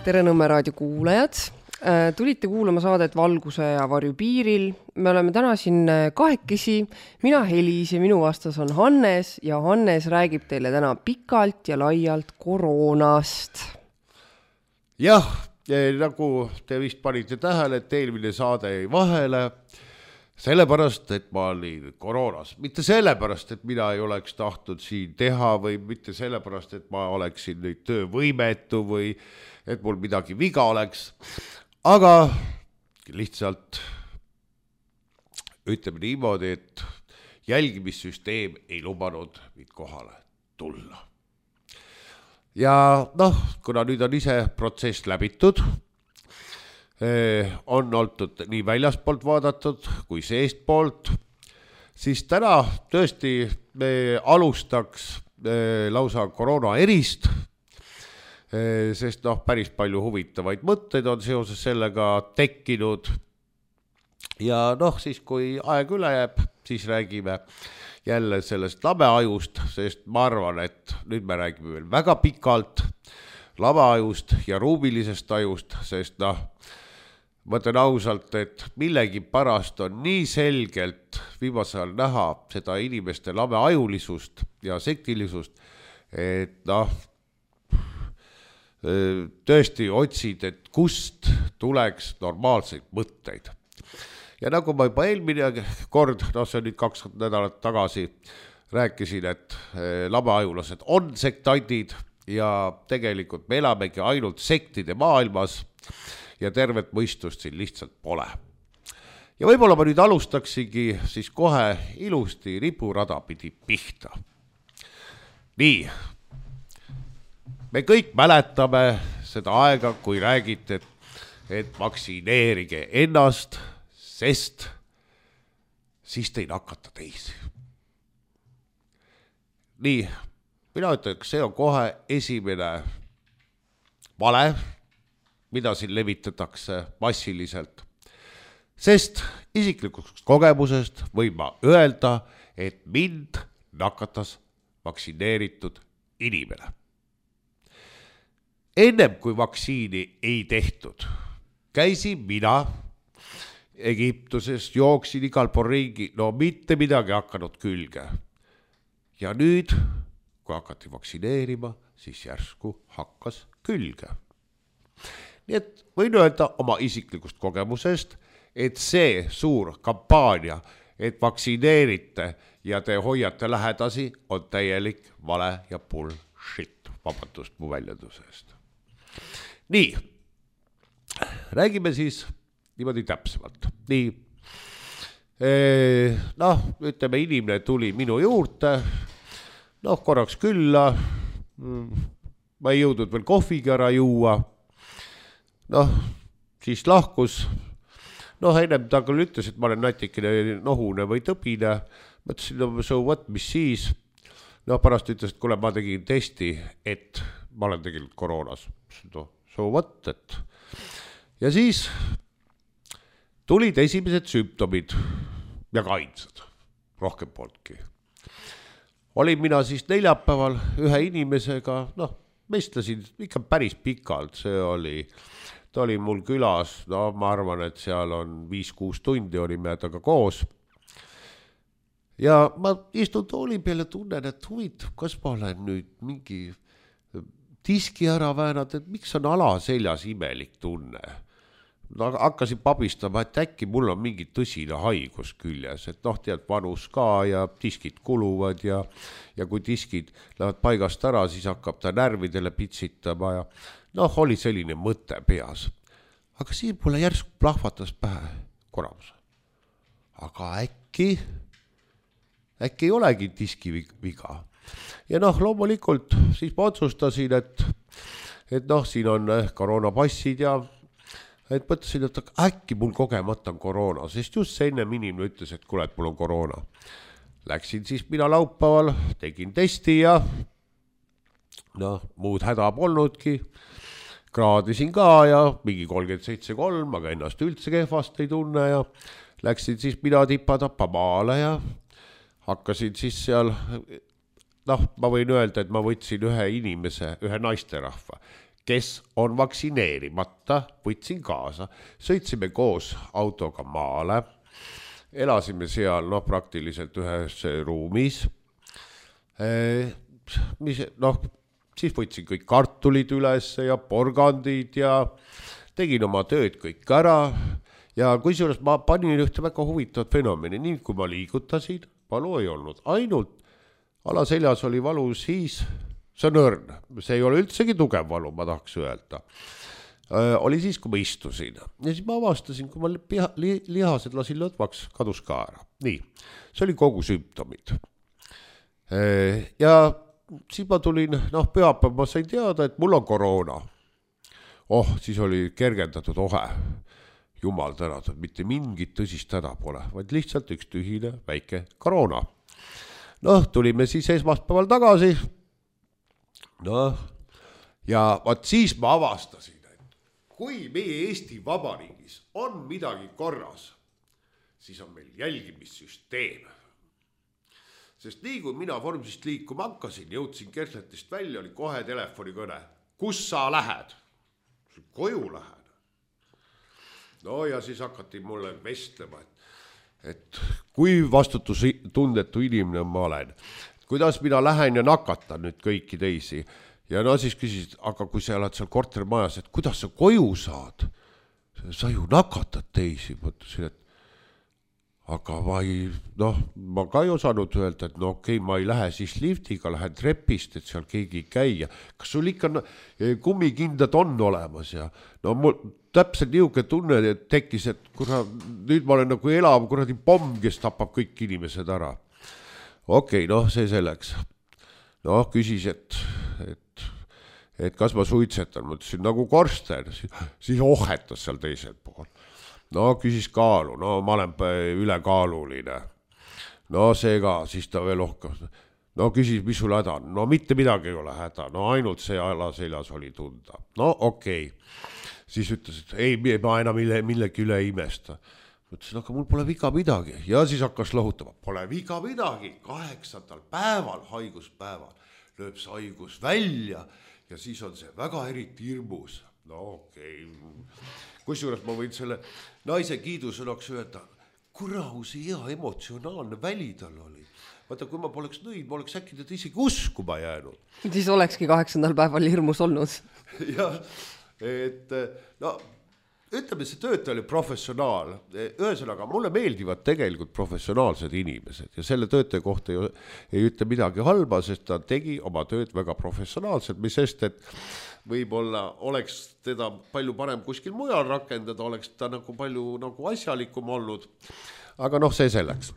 Tere Nõmme raadio kuulajad. Tulite kuulama saadet Valguse ja varju piiril. Me oleme täna siin kahekesi. Mina Helis ja minu vastas on Hannes ja Hannes räägib teile täna pikalt ja laialt koroonast. Jah, nagu te vist panite tähele, et eelmine saade jäi vahele. Sellepärast, et ma olin koroonas. Mitte sellepärast, et mina ei oleks tahtnud siin teha või mitte sellepärast, et ma oleksin nüüd töövõimetu või et mul midagi viga oleks. Aga lihtsalt ütleme niimoodi, et jälgimissüsteem ei lubanud mind kohale tulla. Ja kuna nüüd on ise protsess läbitud, on olnud nii väljaspoolt vaadatud kui seestpoolt, siis täna tõesti me alustaks lausa koroona erist, sest päris palju huvitavaid mõtteid on seoses sellega tekkinud. Ja siis kui aeg üle jääb, siis räägime jälle sellest labeajust, sest ma arvan, et nüüd me räägime veel väga pikalt labeajust ja ruumilisest ajust, sest ma ütlen ausalt, et millegi pärast on nii selgelt viimasel näha seda inimeste labeajulisust ja sektilisust, et tõesti otsid, et kust tuleks normaalseid mõtteid. Ja nagu ma juba eelmine kord, see on nüüd 2 nädalat tagasi, rääkisin, et labeajulased on sektandid ja tegelikult me elamegi ainult sektide maailmas ja tervet mõistust siin lihtsalt pole. Ja võib-olla ma nüüd alustaksigi siis kohe ilusti ripurada pidi pihta. Nii, me kõik mäletame seda aega, kui räägite, et vaktsineerige ennast, sest siis te ei nakata teisi. Nii, mina ütlen, see on kohe esimene vale, mida siin levitatakse massiliselt. Sest isiklikust kogemusest võin ma öelda, et mind nakatas vaktsineeritud inimene. Ennem kui vaktsiini ei tehtud, käisin mina Egiptuses, jooksin igal pool ringi, mitte midagi hakanud külge. Ja nüüd, kui hakati vaktsineerima, siis järsku hakkas külge. Nii et võin öelda oma isiklikust kogemusest, et see suur kampaania, et vaktsineerite ja te hoiate lähedasi, on täielik vale ja bullshit, vabandust mu väljenduse eest. Nii, räägime siis niimoodi täpsemalt. Nii, ütleme, inimene tuli minu juurde, korraks külla, ma ei jõudnud veel kohviga ära juua, siis lahkus, ennem ta küll ütles, et ma olen natikene nohune või tõbine, mõtlesin, so what, mis siis, pärast ütles, et kuule, ma tegin testi, et ma olen tegelikult koroonas, so what, et ja siis tulid esimesed sümptomid ja ka ainsad, rohkem polnudki. Olin mina siis neljapäeval ühe inimesega, vestlesin ikka päris pikalt, ta oli mul külas, ma arvan, et seal on 5-6 tundi olime taga koos. Ja ma istun tooli peale, tunnen, et huvitav, kas ma olen nüüd mingi diski ära väänad, et miks on alaseljas imelik tunne. Hakkasin pabistama, et äkki mul on mingi tõsine haigus küljes, et tead vanus ka ja diskid kuluvad ja kui diskid lähevad paigast ära, siis hakkab ta närvidele pitsitama ja oli selline mõte peas. Aga siin mulle järsku plahvatas pähe koramus. Aga äkki ei olegi diski viga. Ja loomulikult siis ma otsustasin, et siin on koroonapassid ja et mõtlesin, et äkki mul kogemata on koroona, sest just see ennem inimene ütles, et kuule, et mul on koroona. Läksin siis mina laupäeval, tegin testi ja muud häda polnudki. Kraadisin ka ja mingi 37,3, aga ennast üldse kehvast ei tunne ja läksin siis mina tipa-tapa maale ja hakkasin siis seal, ma võin öelda, et ma võtsin ühe inimese, ühe naisterahva, kes on vaktsineerimata, võtsin kaasa, sõitsime koos autoga maale, elasime seal praktiliselt ühes ruumis, siis võtsin kõik kartulid üles ja porgandid ja tegin oma tööd kõik ära ja kusjuures ma panin ühte väga huvitavat fenomeni, nii kui ma liigutasin, valu ei olnud, ainult alaseljas oli valu siis, see on õrn, see ei ole üldsegi tugev valu, ma tahaks öelda. Oli siis, kui ma istusin ja siis ma avastasin, kui ma lihased lasin lõdvaks, kadus ka ära. Nii, see oli kogu sümptomid. Ja siis ma tulin, pühapäev ma sain teada, et mul on koroona. Siis oli kergendatud ohe. Jumal tänatud, mitte mingit tõsist häda pole, vaid lihtsalt üks tühine väike koroona. Tulime siis esmaspäeval tagasi. Ja vaat siis ma avastasin, et kui meie Eesti Vabariigis on midagi korras, siis on meil jälgimissüsteem. Sest nii kui mina vormsist liikuma hakkasin, jõudsin Kersletist välja, oli kohe telefonikõne. Kus sa lähed? Koju lähen. Ja siis hakati mulle vestlema, et kui vastutustundetu inimene ma olen, kuidas mina lähen ja nakatan nüüd kõiki teisi. Ja siis küsisid, aga kui sa oled seal kortermajas, et kuidas sa koju saad? Sa ju nakatad teisi, mõtlesin, et aga ma ka ei osanud öelda, et okei, ma ei lähe siis liftiga, lähen trepist, et seal keegi ei käi. Kas sul ikka kummikindad on olemas? Ja mul täpselt niuke tunne, et tekkis, et nüüd ma olen nagu elav kuradi pomm, kes tapab kõik inimesed ära. Okei, see selleks. Küsis, et kas ma suitsetan, mõtlesin nagu korsten, siis ohetas seal teisel pool. Küsis kaalu, ma olen ülekaaluline. See ka, siis ta veel ohkas. Küsis, mis sul häda on? Mitte midagi ei ole häda, ainult see alaseljas oli tunda. Okei. Siis ütles, et ei, ma enam millegi üle ei imesta. Mõtlesin, aga mul pole viga midagi. Ja siis hakkas lohutama, pole viga midagi. 8. päeval, haiguspäeval, lööb see haigus välja ja siis on see väga eriti hirmus. Okei. Kusjuures ma võin selle naise kiidusõnaks öelda, kuraus hea emotsionaalne väli tal oli. Vaata, kui ma poleks nõid, ma oleks äkki teda isegi uskuma jäänud. Siis olekski 8. päeval hirmus olnud. Jah, ütleme, see töötaja oli professionaal. Ühesõnaga, mulle meeldivad tegelikult professionaalsed inimesed ja selle töötaja kohta ei ütle midagi halba, sest ta tegi oma tööd väga professionaalselt, mis sest, et võib-olla oleks teda palju parem kuskil mujal rakendada, oleks ta nagu palju asjalikum olnud. Aga see selleks.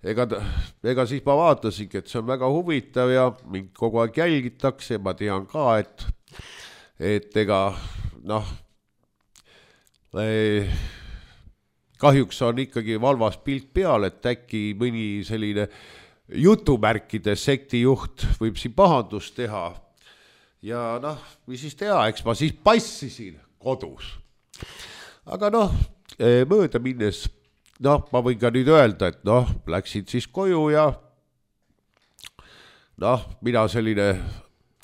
Ega siis ma vaatasingi, et see on väga huvitav ja mind kogu aeg jälgitakse ja ma tean ka, et ega kahjuks on ikkagi valvas pilt peal, et äkki mõni selline jutumärkide sektijuht võib siin pahandust teha ja mis siis teha, eks ma siis passisin kodus. Aga mööda minnes, ma võin ka nüüd öelda, et läksin siis koju ja mina selline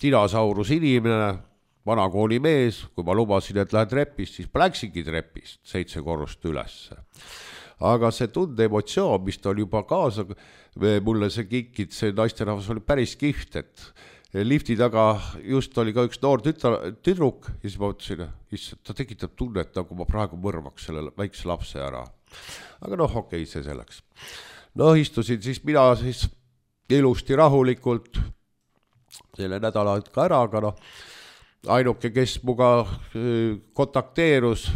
dinosaurus inimene, vanakooli mees, kui ma lubasin, et lähen trepist, siis läksingi trepist 7 korrust ülesse. Aga see tunde emotsioon, mis ta on juba kaasa, mulle see kikid, see naisterahvas oli päris kiht, et lifti taga just oli ka üks noor tüdruk ja siis ma mõtlesin, ta tekitab tunnet, nagu ma praegu mõrvaks selle väikse lapse ära. Aga okei, see selleks. Istusin siis mina siis ilusti rahulikult selle nädala ka ära, aga ainuke, kes muga kontakteerus,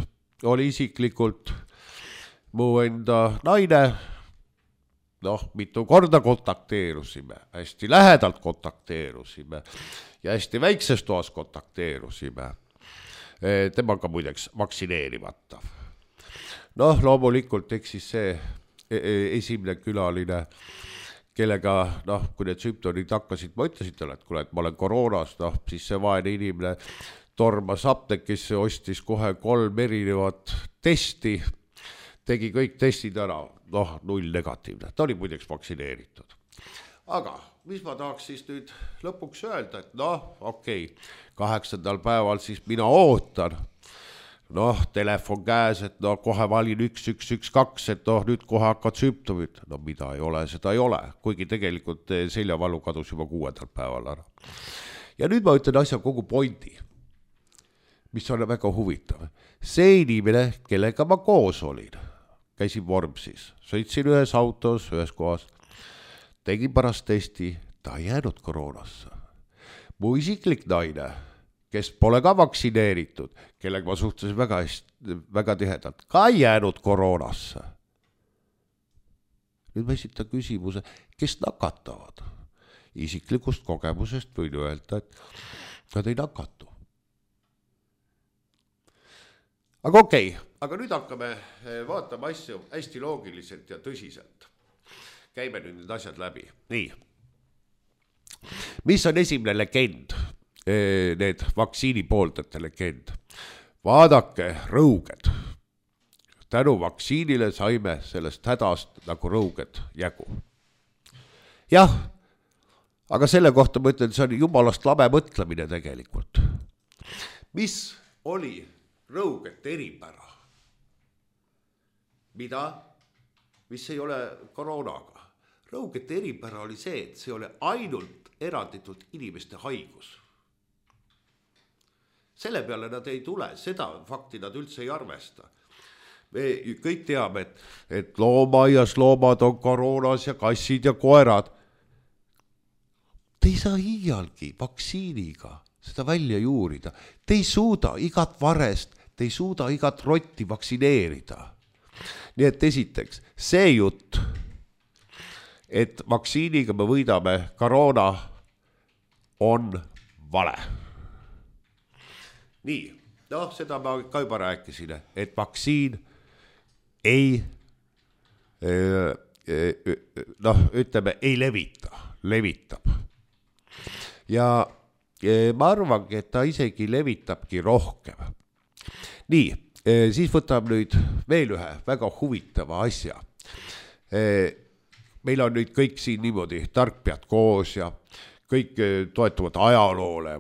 oli isiklikult mu enda naine. Mitu korda kontakteerusime, hästi lähedalt kontakteerusime ja hästi väikses toas kontakteerusime. Temaga muideks vaktsineerimata. Loomulikult eks siis see esimene külaline, kellega, kui need sümptomid hakkasid, ma ütlesin talle, et kuule, et ma olen koroonas, siis see vaene inimene tormas apteekisse, ostis kohe 3 erinevat testi, tegi kõik testid ära, 0 negatiivne, ta oli muideks vaktsineeritud. Aga mis ma tahaks siis nüüd lõpuks öelda, et noh, okei, 8. päeval siis mina ootan, noh, telefon käes, et no kohe valin 1112, et noh, nüüd kohe hakkad sümptomid, no mida ei ole, seda ei ole, kuigi tegelikult seljavalu kadus juba 6. päeval ära. Ja nüüd ma ütlen asja kogu pointi, mis on väga huvitav. See inimene, kellega ma koos olin, käisin Vormsis, sõitsin ühes autos, ühes kohas, tegin pärast testi, ta ei jäänud koroonasse. Mu isiklik naine, kes pole ka vaktsineeritud, kellega ma suhtlesin väga tihedalt, ka ei jäänud koroonasse. Nüüd ma esitan küsimuse, kes nakatavad? Isiklikust kogemusest võin öelda, et nad ei nakatu. Aga okei, aga nüüd hakkame vaatama asju hästi loogiliselt ja tõsiselt. Käime nüüd need asjad läbi. Nii. Mis on esimene legend? Need vaktsiini pooldajate legend. Vaadake, rõuged. Tänu vaktsiinile saime sellest hädast nagu rõuged jagu. Jah, aga selle kohta ma ütlen, see on jumalast labe mõtlemine tegelikult. Mis oli rõugete eripära? Mida? Mis ei ole koroonaga? Rõugete eripära oli see, et see oli ainult eranditult inimeste haigus. Selle peale nad ei tule, seda fakti nad üldse ei arvesta. Me kõik teame, et loomaaias loomad on koroonas ja kassid ja koerad. Te ei saa iialgi vaktsiiniga seda välja juurida. Te ei suuda igat varest, te ei suuda igat rotti vaktsineerida. Nii et esiteks, see jutt, et vaktsiiniga me võidame koroona, on vale. Nii, noh, seda ma ka juba rääkisin, et vaktsiin ei, noh, ütleme, ei levitab. Ja ma arvangi, et ta isegi levitabki rohkem. Nii, siis võtab nüüd veel ühe väga huvitava asja. Meil on nüüd kõik siin niimoodi tarkpead koos ja kõik toetuvad ajaloole.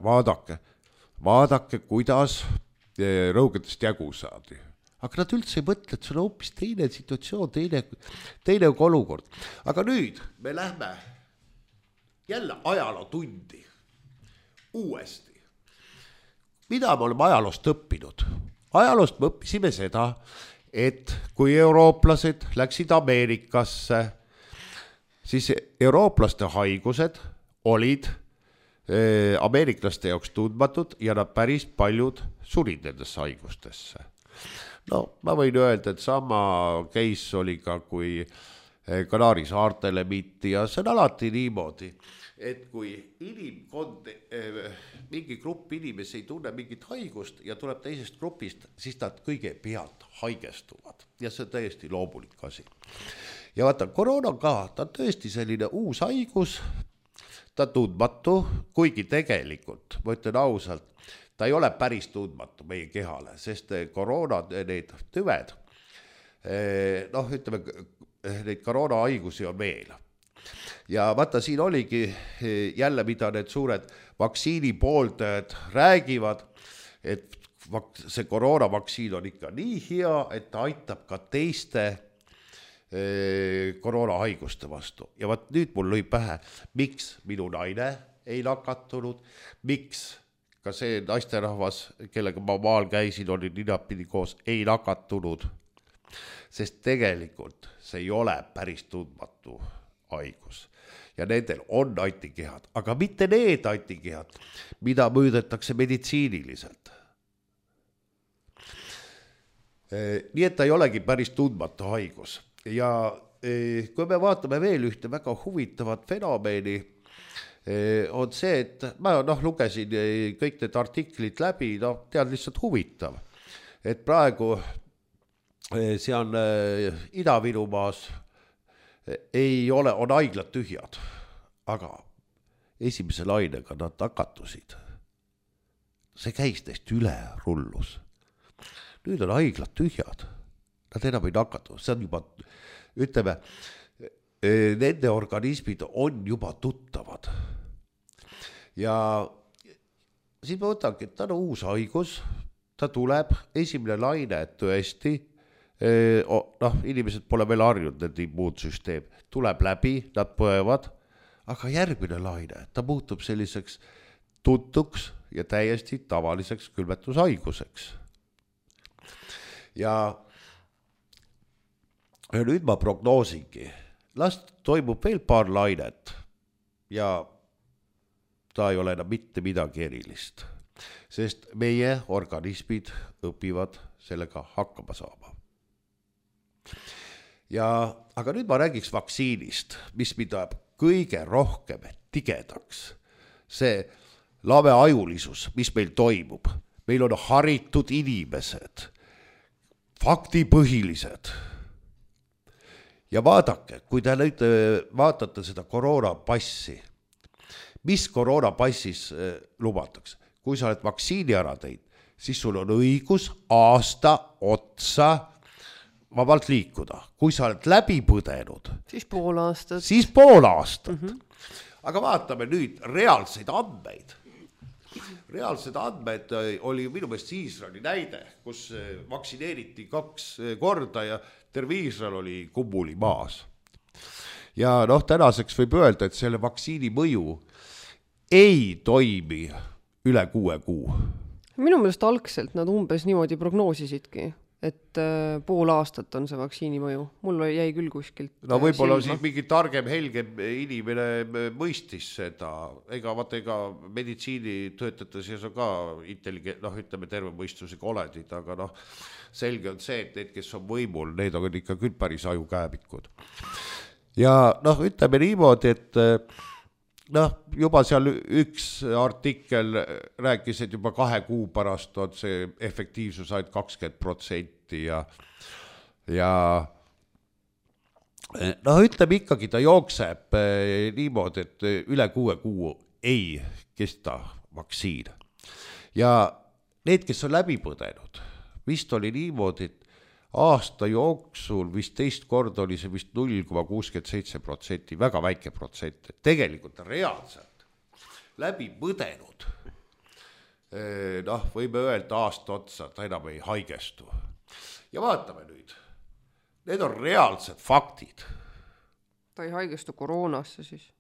Vaadake, kuidas rõugetest jagu saadi. Aga nad üldse ei mõtle, et see on hoopis teine situatsioon, teine olukord. Aga nüüd me lähme jälle ajalootundi uuesti. Mida me oleme ajaloost õppinud? Ajaloost me õppisime seda, et kui eurooplased läksid Ameerikasse, siis eurooplaste haigused olid ameeriklaste jaoks tundmatud ja nad päris paljud surid nendesse haigustesse. No, ma võin öelda, et sama case oli ka, kui Kanaari saartele miti ja see on alati niimoodi, et kui inimkond, mingi grupp inimesi ei tunne mingit haigust ja tuleb teisest grupist, siis nad kõigepealt haigestuvad ja see on täiesti loomulik asi. Ja vaata, koroona ka, ta on tõesti selline uus haigus, ta tundmatu, kuigi tegelikult, ma ütlen ausalt, ta ei ole päris tundmatu meie kehale, sest koroona, need tüved, noh, ütleme, neid koroona haigusi on veel. Ja vaata, siin oligi jälle, mida need suured vaktsiini pooldajad räägivad, et see koroonavaktsiin on ikka nii hea, et ta aitab ka teiste koroonahaiguste vastu. Ja vaat nüüd mul lõi pähe, miks minu naine ei nakatunud, miks ka see naisterahvas, kellega ma maal käisin, oli ninapidi koos, ei nakatunud. Sest tegelikult see ei ole päris tundmatu haigus. Ja nendel on antikehad, aga mitte need antikehad, mida mõõdetakse meditsiiniliselt. Nii et ta ei olegi päris tundmatu haigus. Ja kui me vaatame veel ühte väga huvitavat fenomeni, on see, et ma lugesin kõik need artiklid läbi, tead lihtsalt huvitav, et praegu see on Ida-Virumaas ei ole, on haiglad tühjad, aga esimese lainega nad nakatusid. See käis neist üle rullus. Nüüd on haiglad tühjad. Nad enam ei nakatu. See on juba, ütleme, nende organismid on juba tuttavad. Ja siis ma võtangi, et ta on uus haigus, ta tuleb, esimene laine tõesti, inimesed pole veel harjunud, nende immuunsüsteem tuleb läbi, nad põevad, aga järgmine laine, ta muutub selliseks tuntuks ja täiesti tavaliseks külmetushaiguseks. Ja nüüd ma prognoosingi, las toimub veel paar lainet ja ta ei ole enam mitte midagi erilist, sest meie organismid õpivad sellega hakkama saama. Aga nüüd ma räägiks vaktsiinist, mis mida kõige rohkem tigedaks. See laveajulisus, mis meil toimub. Meil on haritud inimesed, faktipõhilised. Ja vaadake, kui te nüüd vaatate seda koroonapassi, mis koroonapassis lubatakse? Kui sa oled vaktsiini ära teinud, siis sul on õigus aasta otsa vabalt liikuda. Kui sa oled läbi põdenud, siis pool aastat. Aga vaatame nüüd reaalseid andmeid. Reaalsed andmed oli minu meelest Iisraeli näide, kus vaktsineeriti 2 korda ja terve Iisrael oli kummuli maas. Ja tänaseks võib öelda, et selle vaktsiini mõju ei toimi üle 6 kuu. Minu meelest algselt nad umbes niimoodi prognoosisidki, et pool aastat on see vaktsiini mõju. Mul jäi küll kuskilt võib-olla siis mingi targem, helgem inimene mõistis seda. Ega meditsiinitöötajate seas on ka ütleme terve mõistusega oledid, aga selge on see, et need, kes on võimul, need on ikka küll päris ajukääbikud. Ja ütleme niimoodi, et juba seal üks artikkel rääkis, et juba 2 kuu pärast on see efektiivsus ainult 20% ja ütleme ikkagi, ta jookseb niimoodi, et üle 6 kuu ei kesta vaktsiin. Ja need, kes on läbi põdenud, vist oli niimoodi, et aasta jooksul vist 2 korda oli see vist 0,67%, väga väike protsent. Tegelikult reaalselt läbi põdenud, võime öelda aasta otsa, ta enam ei haigestu. Ja vaatame nüüd, need on reaalsed faktid. Ta ei haigestu koroonasse siis?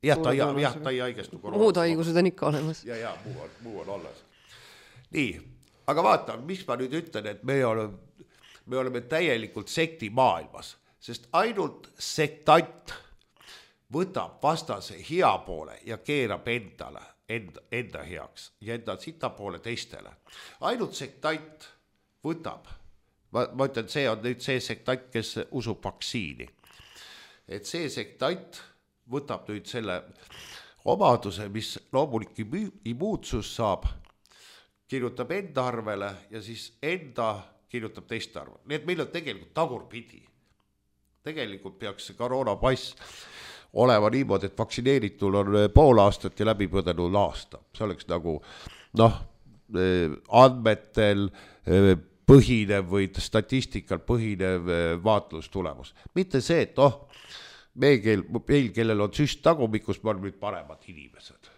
Jah, ta ei haigestu koroonasse. Muud haigused on ikka olemas. Ja, muu on alles. Nii, aga vaatame, mis ma nüüd ütlen, et me oleme täielikult sekti maailmas, sest ainult sektant võtab vastase hea poole ja keerab enda heaks ja enda sita poole teistele. Ainult sektant võtab, ma ütlen, see on nüüd see sektant, kes usub vaktsiini. Et see sektant võtab nüüd selle omaduse, mis loomulik immuutsus saab, kirjutab enda arvele ja siis enda kirjutab teiste arvu. Nii et meil on tegelikult tagurpidi. Tegelikult peaks see koroonapass olema niimoodi, et vaktsineeritul on pool aastat ja läbi põdenud aasta. See oleks nagu andmetel põhinev või statistikal põhinev vaatlustulemus. Mitte see, et meil, kellel on süst tagumikus, me oleme nüüd paremad inimesed.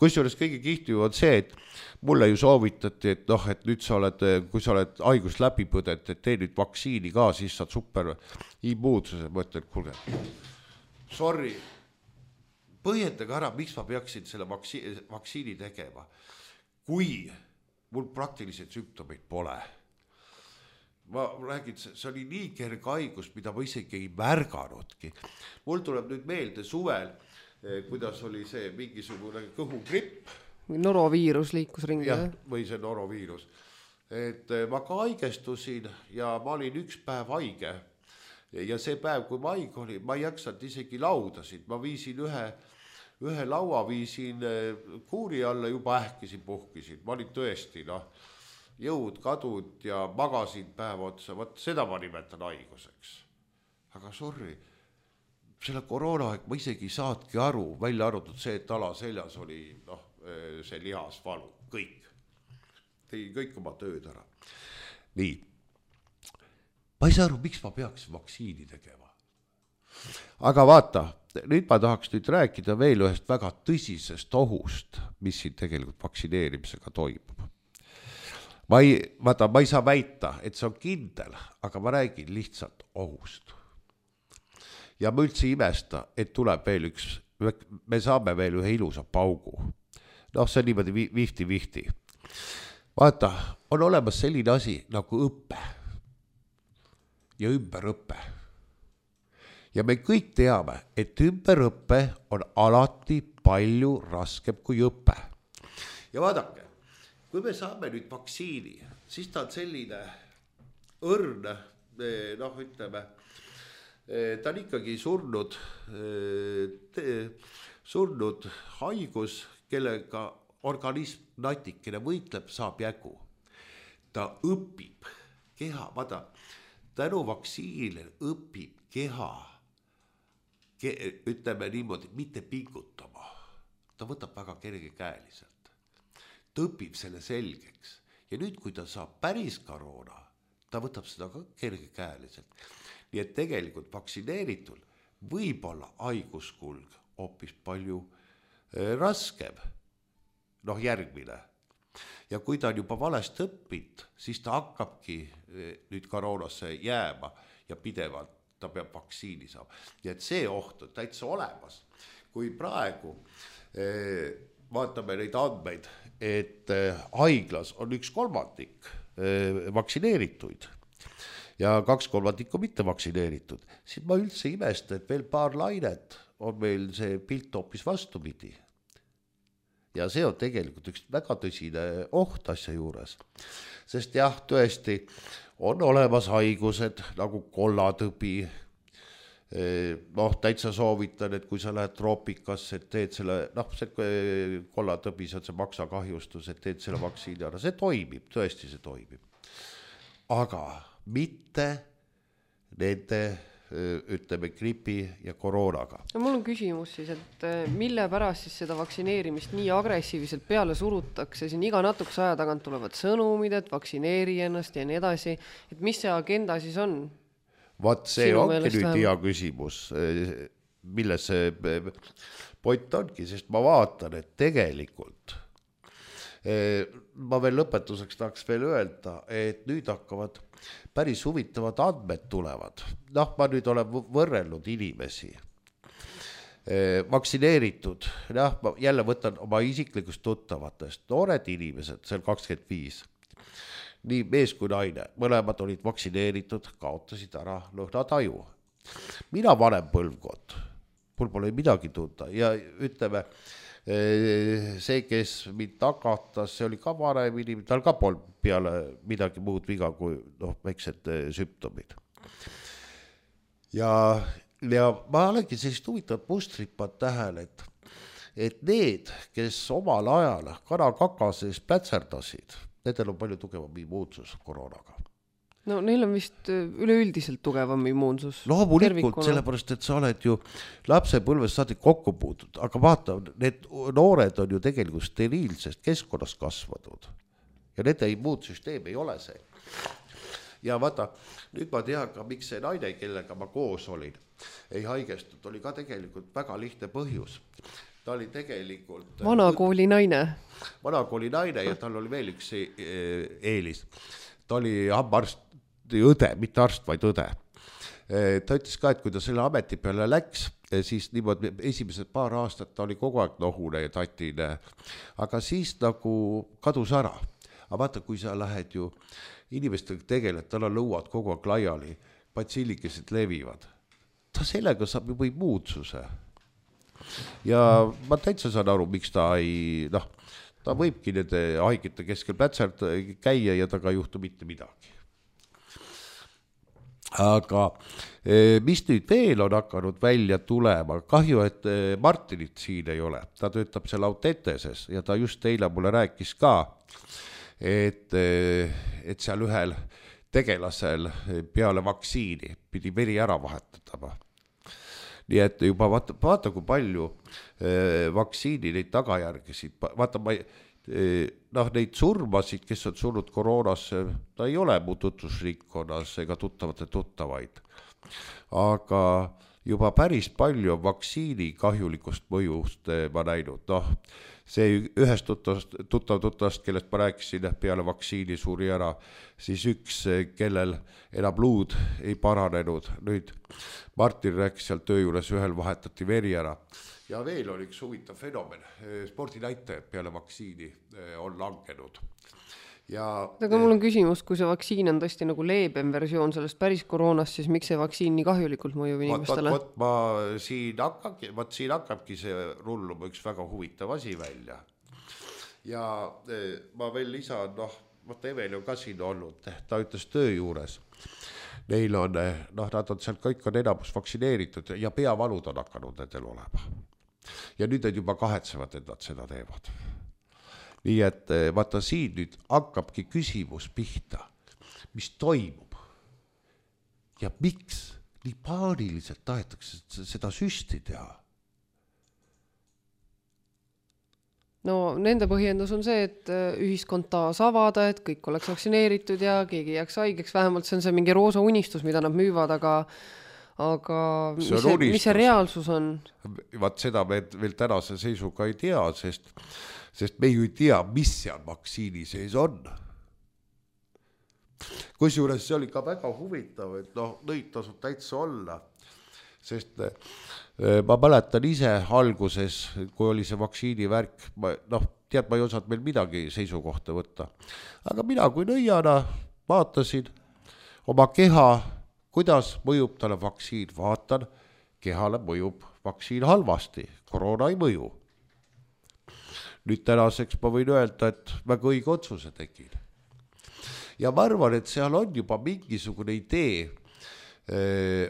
Kusjuures kõige kihtiv on see, et mulle ju soovitati, et nüüd kui sa oled haigust läbi põdet, et tee nüüd vaktsiini ka, siis saad super immuunsuse. Ma ütlen, kuulge, sorry, põhjendage ära, miks ma peaksin selle vaktsiini tegema, kui mul praktiliselt sümptomeid pole. Ma räägin, see oli nii kerge haigus, mida ma isegi ei märganudki. Mul tuleb nüüd meelde suvel, kuidas oli see mingisugune kõhugripp. Noroviirus liikus ringi. Jah, või see noroviirus. Et ma ka haigestusin ja ma olin 1 päev haige. Ja see päev, kui ma haige oli, ma ei jaksanud isegi laudasid. Ma viisin ühe laua, viisin kuuri alla, juba ähkisin, puhkisin. Ma olin tõesti, jõud kadud ja magasin päev otsa. Võt seda ma nimetan haiguseks. Aga sorry, selle koroonaaeg ma isegi saadki aru, välja arvatud see, et alaseljas oli see lihasvalu, kõik. Tegin kõik oma tööd ära. Nii. Ma ei saa aru, miks ma peaks vaktsiini tegema. aga vaata, nüüd ma tahaks nüüd rääkida veel ühest väga tõsisest ohust, mis siin tegelikult vaktsineerimisega toimub. Ma ei saa väita, et see on kindel, aga ma räägin lihtsalt ohust. Ja ma üldse imesta, et tuleb veel me saame veel ühe ilusa paugu. Noh, see on niimoodi vihti. Vaata, on olemas selline asi nagu õppe ja ümberõppe. Ja me kõik teame, et ümberõppe on alati palju raskem kui õppe. Ja vaadake, kui me saame nüüd vaktsiini, siis ta on selline õrn, noh ütleme, ta on ikkagi surnud haigus, kellega organism natikene võitleb, saab jägu. Ta õpib keha, vaata, tänu vaktsiinile õpib keha, ütleme niimoodi, mitte pingutama. Ta võtab väga kergekäeliselt. Ta õpib selle selgeks. Ja nüüd, kui ta saab päris koroona, ta võtab seda ka kergekäeliselt. Nii et tegelikult vaktsineeritul võib olla haiguskulg hoopis palju raskem. Noh, järgmine. Ja kui ta on juba valest õppinud, siis ta hakkabki nüüd koroonasse jääma ja pidevalt ta peab vaktsiini saama. Ja et see oht on täitsa olemas. Kui praegu vaatame neid andmeid, et haiglas on 1/3 vaktsineerituid ja 2/3 mitte vaktsineeritud, siis ma üldse imesta, et veel paar lainet on meil see pilt hoopis vastupidi. Ja see on tegelikult üks väga tõsine oht asja juures. Sest jah, tõesti on olemas haigused nagu kollatõbi. Noh, täitsa soovitan, et kui sa lähed troopikasse, et teed selle, noh, see kollatõbi, see on see maksakahjustus, et teed selle vaktsiini ära. See toimib, tõesti see toimib. Aga mitte nende, ütleme, gripi ja koroonaga. No mul on küsimus siis, et mille pärast siis seda vaktsineerimist nii agressiivselt peale surutakse, siin iga natukese aja tagant tulevad sõnumid, et vaktsineeri ennast ja nii edasi, et mis see agenda siis on? Vaat see ongi nüüd hea küsimus, milles see point ongi, sest ma vaatan, et tegelikult ma veel lõpetuseks tahaks veel öelda, et nüüd hakkavad päris huvitavad andmed tulevad. Noh, ma nüüd olen võrrelnud inimesi. Vaktsineeritud, jah, ma jälle võtan oma isiklikust tuttavatest, noored inimesed, seal 25. Nii mees kui naine, mõlemad olid vaktsineeritud, kaotasid ära lõhnataju. Mina vanem põlvkond, mul pole midagi tunda ja ütleme, see, kes mind takatas, see oli ka vanem inimene, tal ka polnud peale midagi muud viga kui väiksed sümptomid. Ja ma olengi sellist huvitavat mustrit pannud tähele, et need, kes omal ajal kanakakases plätserdasid, nendel on palju tugevam immuunsus koroonaga. No neil on vist üleüldiselt tugevam immuunsus. Loomulikult, sellepärast, et sa oled ju lapsepõlvest saadik kokku puutud, aga vaata, need noored on ju tegelikult steriilsest keskkonnast kasvanud ja nende immuunsüsteem ei ole see. Ja vaata, nüüd ma tean ka, miks see naine, kellega ma koos olin, ei haigestunud, oli ka tegelikult väga lihtne põhjus. Ta oli tegelikult vanakooli naine ja tal oli veel üks eelis. Ta oli hambaarst, õde, mitte arst, vaid õde. Ta ütles ka, et kui ta selle ameti peale läks, siis niimoodi esimesed paar aastat ta oli kogu aeg nohune ja tatine, aga siis nagu kadus ära. Aga vaata, kui sa lähed ju inimestega tegeled, tal on lõuad kogu aeg laiali, patsillikesed levivad. Ta sellega saab juba immuunsuse. Ja ma täitsa saan aru, miks ta ei, ta võibki nende haigete keskel plätsert käia ja taga ei juhtu mitte midagi. Aga mis nüüd veel on hakanud välja tulema, kahju, et Martinit siin ei ole, ta töötab seal Autenteses ja ta just eile mulle rääkis ka, et seal ühel tegelasel peale vaktsiini pidi veri ära vahetatama. Nii et juba vaata kui palju vaktsiini neid tagajärgesid, vaata neid surmasid, kes on surnud koroonasse, ta ei ole mu tutvusringkonnas ega tuttavate tuttavaid. Aga juba päris palju vaktsiini kahjulikust mõjust ma näinud, noh, see ühest tuttavast, kellest ma rääkisin, peale vaktsiini suri ära, siis üks, kellel enam luud ei paranenud, nüüd Martin rääkis seal töö juures, ühel vahetati veri ära. Ja veel oli üks huvitav fenomen, spordinäitajad peale vaktsiini on langenud. Aga mul on küsimus, kui see vaktsiin on tõesti nagu leebem versioon sellest päris koroonast, siis miks see vaktsiin nii kahjulikult mõjub inimestele? Siin hakkabki see rulluma üks väga huvitav asi välja. Ja ma veel lisan, Eveli on ka siin olnud, ta ütles töö juures. Neil on, nad on seal kõik on enamus vaktsineeritud ja peavalud on hakanud nendel olema. Ja nüüd nad juba kahetsevad, et nad seda teevad. Nii et vaata siin nüüd hakkabki küsimus pihta, mis toimub ja miks nii paaniliselt tahetakse seda süsti teha. No nende põhjendus on see, et ühiskond taas avada, et kõik oleks vaktsineeritud ja keegi jääks haigeks, vähemalt see on see mingi roosa unistus, mida nad müüvad, aga mis see reaalsus on? Vaat seda me veel tänase seisuga ei tea, sest me ju ei tea, mis seal vaktsiini sees on. Kusjuures see oli ka väga huvitav, et nõid tasub täitsa olla, sest ma mäletan ise alguses, kui oli see vaktsiini värk, ma ei osanud meil midagi seisukohta võtta. Aga mina kui nõiana vaatasin oma keha, kuidas mõjub talle vaktsiin, vaatan, kehale mõjub vaktsiin halvasti, koroona ei mõju. Nüüd tänaseks ma võin öelda, et väga õige otsuse tegin. Ja ma arvan, et seal on juba mingisugune idee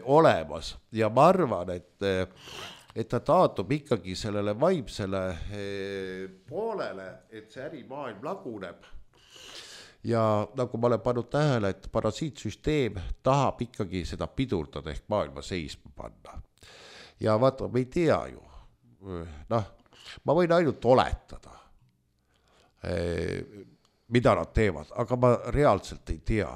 olemas ja ma arvan, et ta taatub ikkagi sellele vaimsele poolele, et see ärimaailm laguneb. Ja nagu ma olen pannud tähele, et parasiitsüsteem tahab ikkagi seda pidurdada ehk maailma seisma panna. Ja vaata, me ei tea ju, ma võin ainult oletada, mida nad teevad, aga ma reaalselt ei tea.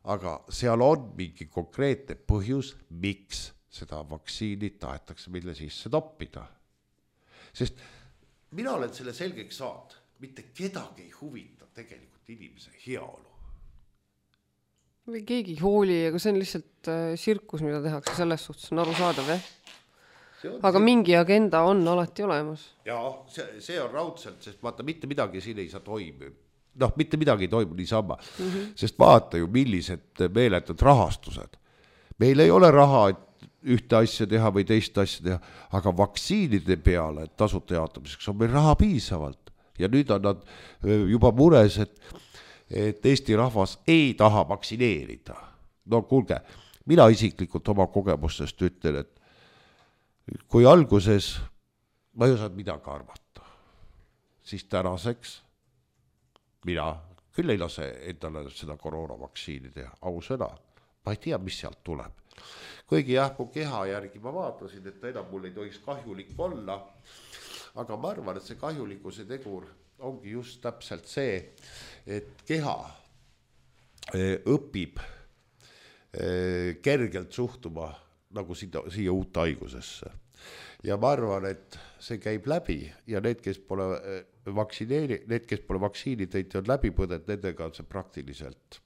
Aga seal on mingi konkreetne põhjus, miks seda vaktsiini tahetakse mille sisse toppida. Sest mina olen selle selgeks saanud, mitte kedagi ei huvita tegelikult inimese heaolu. Või keegi hooli, aga see on lihtsalt sirkus, mida tehakse, selles suhtes on arusaadav, Aga mingi agenda on alati olemas. Jaa, see on raudselt, sest vaata, mitte midagi siin ei saa toimu. Mitte midagi ei toimu niisama, sest vaata ju, millised meeletud rahastused. Meil ei ole raha, et ühte asja teha või teist asja teha, aga vaktsiinide peale tasuta jaotamiseks on meil raha piisavalt. Ja nüüd on nad juba mures, et Eesti rahvas ei taha vaktsineerida. No kuulge, mina isiklikult oma kogemustest ütlen, et kui alguses ma ei osanud midagi arvata, siis tänaseks mina küll ei lase endale seda koroonavaktsiini teha, ausõna. Ma ei tea, mis sealt tuleb. Kuigi mu keha järgi ma vaatasin, et enam mul ei tohiks kahjulik olla, aga ma arvan, et see kahjulikkuse tegur ongi just täpselt see, et keha õpib kergelt suhtuma nagu siia uut haigusesse. Ja ma arvan, et see käib läbi ja need, kes pole vaktsiini teinud, on läbi põdet, nendega on see praktiliselt,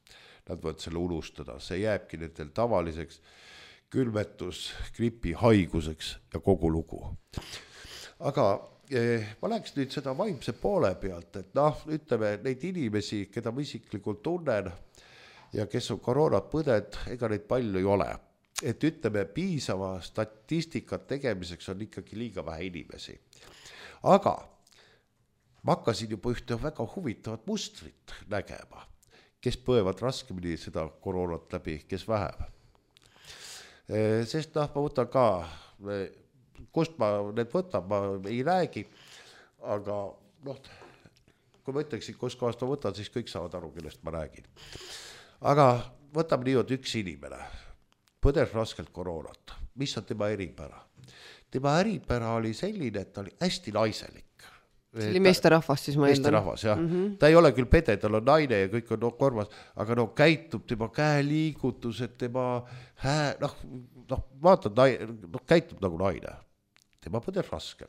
nad võivad selle unustada, see jääbki nendel tavaliseks külmetus, gripi haiguseks ja kogu lugu. Aga ma läheks nüüd seda vaimse poole pealt, et ütleme neid inimesi, keda ma isiklikult tunnen ja kes on koroonat põded, ega neid palju ei ole. Et ütleme, piisava statistikat tegemiseks on ikkagi liiga vähe inimesi. Aga ma hakkasin juba ühte väga huvitavat mustrit nägema, kes põevad raskemini seda koroonat läbi, kes vähem. Sest ma võtan ka, kust ma need võtan, ma ei räägi, aga kui ma ütleksin, kus kohast ma võtan, siis kõik saavad aru, kellest ma räägin. Aga võtame niimoodi üks inimene. Põdes raskelt koroonat. Mis on tema eripära? Tema eripära oli selline, et ta oli hästi naiselik. see oli meesterahvas siis ma eeldan. Meesterahvas, jah. Ta ei ole küll pede, tal on naine ja kõik on korvas, aga käitub tema käeliigutused, tema vaatad, käitub nagu naine. Tema põdes raske.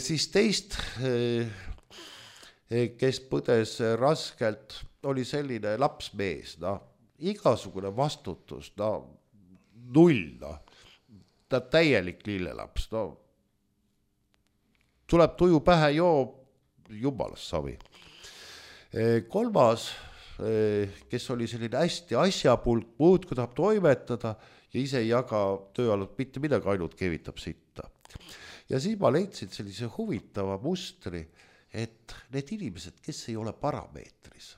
Siis teist, kes põdes raskelt, oli selline lapsmees, igasugune vastutus, null, ta täielik lillelaps, tuleb tuju pähe, jumalast savi. Kolmas, kes oli selline hästi asjapulk, muud kui tahab toimetada ja ise ei jaga töö alt mitte midagi, ainult kevitab sitta. Ja siis ma leidsin sellise huvitava mustri, et need inimesed, kes ei ole parameetris,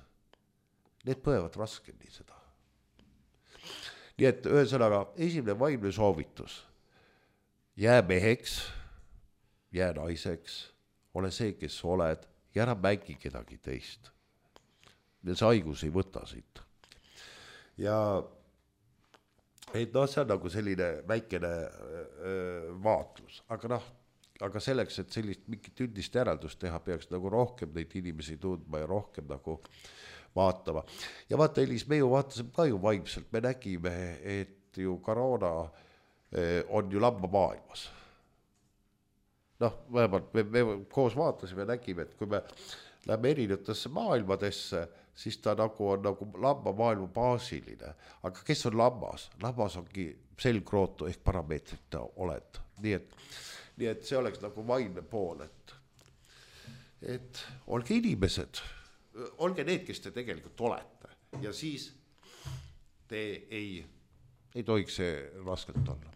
need põevad raskemini seda. Nii et ühesõnaga, esimene vaimne soovitus, jää meheks, jää naiseks, ole see, kes oled ja ära mängi kedagi teist. Ja see haigus ei võta siit. Ja see on nagu selline väikene vaatlus, aga selleks, et sellist mingit üldist järeldust teha, peaks nagu rohkem neid inimesi tundma ja rohkem nagu vaatama. Ja vaata, Elis, me ju vaatasime ka ju vaimselt, me nägime, et ju koroona on ju lamba maailmas. Vähemalt me koos vaatasime ja nägime, et kui me lähme erinevatesse maailmadesse, siis ta nagu on nagu lamba maailma baasiline. Aga kes on lambas? Lambas ongi selgrootu ehk parameetrita oled. Nii et see oleks nagu vaimne pool, et olge inimesed, olge need, kes te tegelikult olete. Ja siis te ei tohiks see raskelt olla.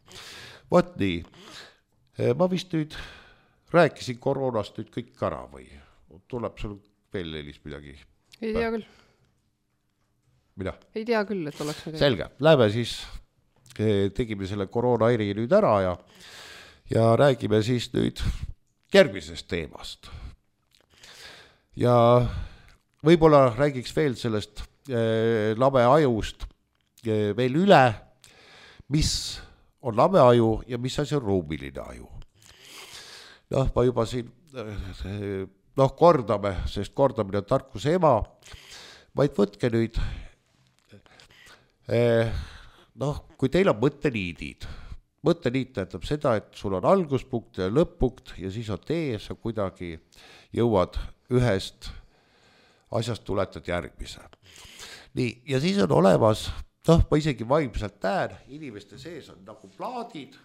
Vot nii, ma vist nüüd rääkisin koroonast nüüd kõik ära või tuleb sul veel Elis midagi? Ei tea küll. Mida? Ei tea küll, et oleks midagi. Selge, lähme siis, tegime selle koroonaeri nüüd ära ja räägime siis nüüd järgmisest teemast. Ja võib-olla räägiks veel sellest labe ajust veel üle, mis on labe aju ja mis asi on ruumiline aju. Ma juba siin kordame, sest kordamine on tarkuse ema, vaid võtke nüüd, kui teil on mõtteliidid, mõtteliit tähendab seda, et sul on alguspunkt ja lõpp-punkt ja siis on tee, sa kuidagi jõuad ühest asjast tuletad järgmise. Nii, ja siis on olemas, ma isegi vaimselt näen, inimeste sees on nagu plaadid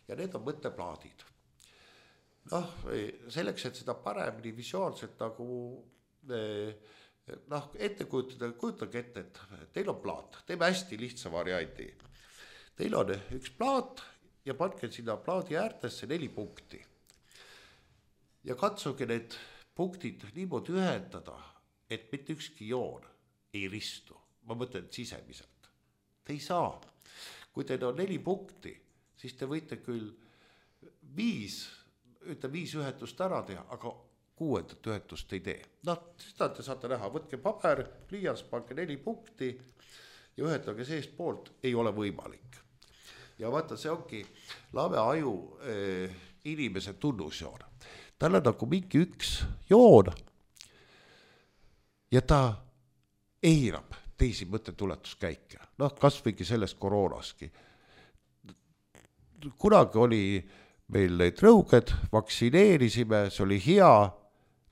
ja need on mõtteplaadid. Selleks, et seda paremini visuaalselt nagu ette kujutage ette, et teil on plaat, teeme hästi lihtsa variandi. Teil on üks plaat ja panke sinna plaadi äärtesse 4 punkti. Ja katsuge need punktid niimoodi ühendada, et mitte ükski joon ei ristu. Ma mõtlen sisemiselt. Te ei saa. Kui teil on 4 punkti, siis te võite küll 5 ühendust ära teha, aga 6. ühendust ei tee. Seda te saate näha, võtke paber, pliiats, pange 4 punkti ja ühendage seest poolt, ei ole võimalik. Ja vaata, see ongi labe aju inimese tunnusjoon. Tal on nagu mingi üks joon ja ta eirab teisi mõttetuletuskäike. Kas võigi sellest koroonaski. Kunagi oli meil neid rõuged, vaktsineerisime, see oli hea.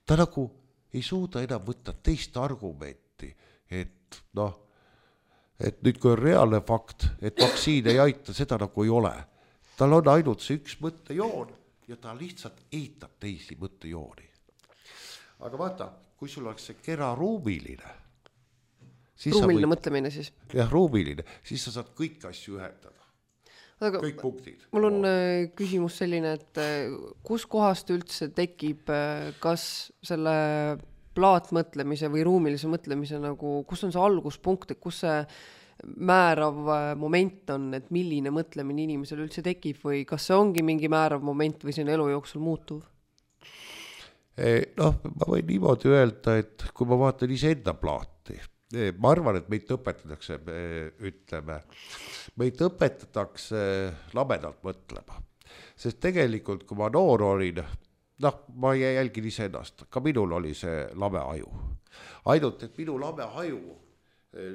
Ta nagu ei suuda enam võtta teist argumenti, et nüüd kui on reaalne fakt, et vaktsiin ei aita, seda nagu ei ole. Tal on ainult see üks mõttejoon ja ta lihtsalt eitab teisi mõttejooni. Aga vaata, kui sul oleks see kera ruumiline. Ruumiline mõtlemine siis? Jah, ruumiline. Siis sa saad kõik asju ühendada. Aga kõik punktid. Mul on küsimus selline, et kus kohast üldse tekib, kas selle plaatmõtlemise või ruumilise mõtlemise nagu, kus on see alguspunkt, et kus see määrav moment on, et milline mõtlemine inimesel üldse tekib või kas see ongi mingi määrav moment või see on elu jooksul muutuv? Ma võin niimoodi öelda, et kui ma vaatan iseenda plaati, ma arvan, et meid õpetatakse, meid õpetatakse labedalt mõtlema. Sest tegelikult, kui ma noor olin, noh, ma jälgin iseennast, ka minul oli see lame aju. Ainult, et minu lame aju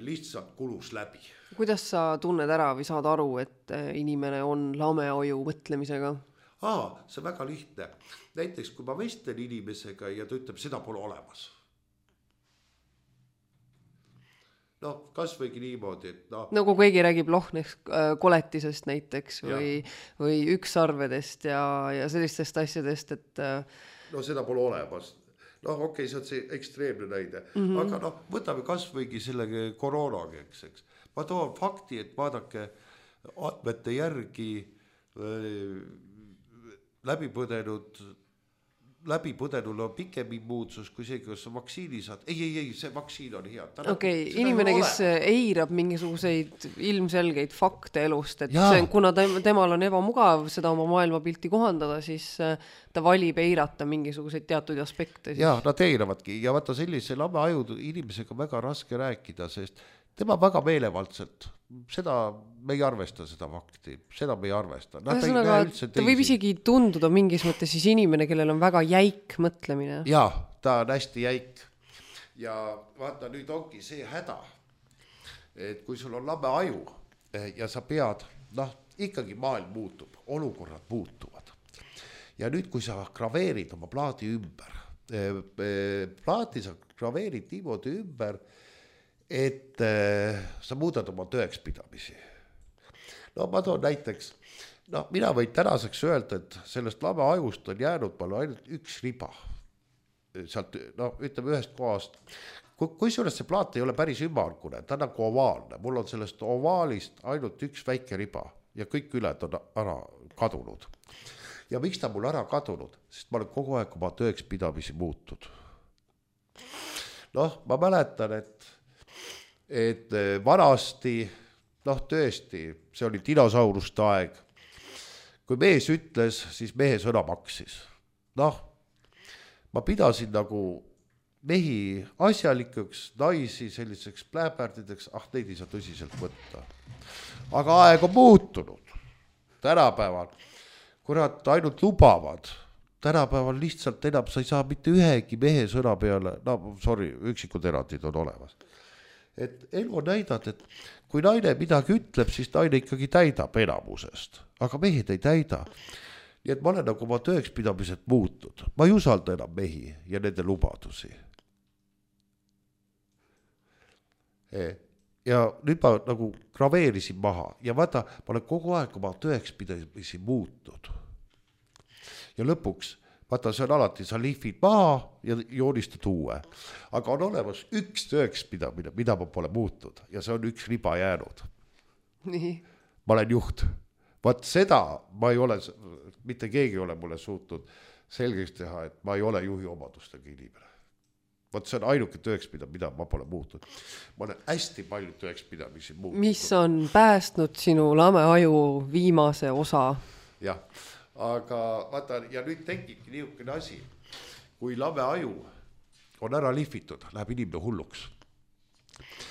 lihtsalt kulus läbi. Kuidas sa tunned ära või saad aru, et inimene on lame aju mõtlemisega? See on väga lihtne. Näiteks, kui ma vestlen inimesega ja ta ütleb, seda pole olemas. Noh, kas võigi niimoodi, et noh. Nagu keegi räägib Lohneks koletisest näiteks või ükssarvedest ja sellistest asjadest, et... No seda pole olemas. Noh, okei, see on see ekstreemne näide. Aga noh, võtame kas võigi selle koroonagi, eks. Ma toon fakti, et vaadake andmete järgi läbipõdenul on pikem immuunsus kui see, kes on vaktsiini saad. Ei, see vaktsiin on hea. Inimene, kes eirab mingisuguseid ilmselgeid fakte elust, et see, kuna temal on ebamugav seda oma maailmapilti kohandada, siis ta valib eirata mingisuguseid teatud aspekte. Jaa, nad eiravadki ja vaata sellise lame aju inimesega väga raske rääkida, sest tema väga meelevaldselt, seda me ei arvesta seda fakti, seda me ei arvesta. Ta võib isegi tunduda mingis mõttes siis inimene, kellel on väga jäik mõtlemine. Jaa, ta on hästi jäik. Ja vaata, nüüd ongi see häda, et kui sul on lame aju ja sa pead, noh, ikkagi maailm muutub, olukorrad muutuvad. Ja nüüd, kui sa graveerid oma plaadi ümber, plaati sa graveerid niimoodi ümber, et sa muudad oma tõekspidamisi. No ma toon näiteks, no mina võin tänaseks öelda, et sellest lame ajust on jäänud palju ainult üks riba. Sealt, no ütleme ühest kohast. Kui see plaat ei ole päris ümmargune, ta on nagu ovaalne. Mul on sellest ovaalist ainult üks väike riba ja kõik üled on ära kadunud. Ja miks ta mul ära kadunud? Sest ma olen kogu aeg oma tõekspidamisi muutud. Noh, ma mäletan, et vanasti, noh tõesti, see oli dinosauruste aeg. Kui mees ütles, siis mehe sõna maksis. Noh, ma pidasin nagu mehi asjalikuks, naisi selliseks pläperdideks, neid ei saa tõsiselt võtta. Aga aeg on muutunud. Tänapäeval, kurat, ainult lubavad. Tänapäeval lihtsalt enam sa ei saa mitte ühegi mehe sõna peale, üksikud erandid on olemas. Et elu on näidanud, et kui naine midagi ütleb, siis naine ikkagi täidab enamusest, aga mehed ei täida. Nii et ma olen nagu oma tõekspidamised muutnud. Ma ei usalda enam mehi ja nende lubadusi. Ja nüüd ma nagu graveerisin maha ja vaata, ma olen kogu aeg oma tõekspidamisi muutnud. Ja lõpuks, vaata, see on alati, sa lihvid maha ja joonistad uue. Aga on olemas üks tõekspidamine, mida ma pole muutnud ja see on üks riba jäänud. Nii. Ma olen juht. Vaat seda ma ei ole, mitte keegi ei ole mulle suutnud selgeks teha, et ma ei ole juhi omadustega inimene. Vaat see on ainuke tõekspidam, mida ma pole muutnud. Ma olen hästi palju tõekspidamisi muutnud. Mis on päästnud sinu lame aju viimase osa? Jah. Aga vaata, ja nüüd tekibki niisugune asi, kui lame aju on ära lihvitud, läheb inimene hulluks.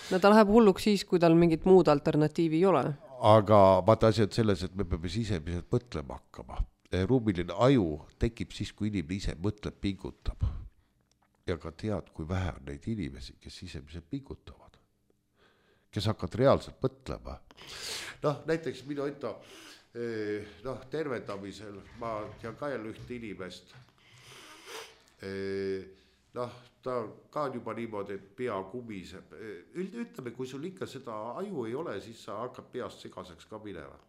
No ta läheb hulluks siis, kui tal mingit muud alternatiivi ei ole. Aga vaata asi on selles, et me peame sisemiselt mõtlema hakkama. Ruumiline aju tekib siis, kui inimene ise mõtleb, pingutab. Ja ka tead, kui vähe on neid inimesi, kes sisemiselt pingutavad. Kes hakkavad reaalselt mõtlema. Noh, näiteks minu enda tervendamisel ma tean ka jälle ühte inimest. Noh, ta ka on juba niimoodi, et pea kumiseb. Ütleme, kui sul ikka seda aju ei ole, siis sa hakkad peast segaseks ka minema.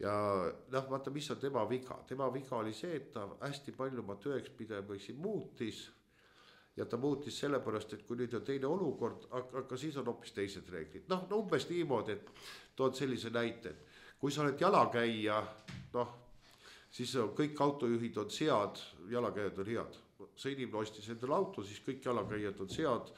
Ja noh, vaata, mis on tema viga. Tema viga oli see, et ta hästi palju oma tõekspidamisi muutis. Ja ta muutis sellepärast, et kui nüüd on teine olukord, aga siis on hoopis teised reeglid. Noh, umbes niimoodi, et tood sellise näite, et kui sa oled jalakäija, noh, siis kõik autojuhid on sead, jalakäijad on head. See inimene ostis endale auto, siis kõik jalakäijad on sead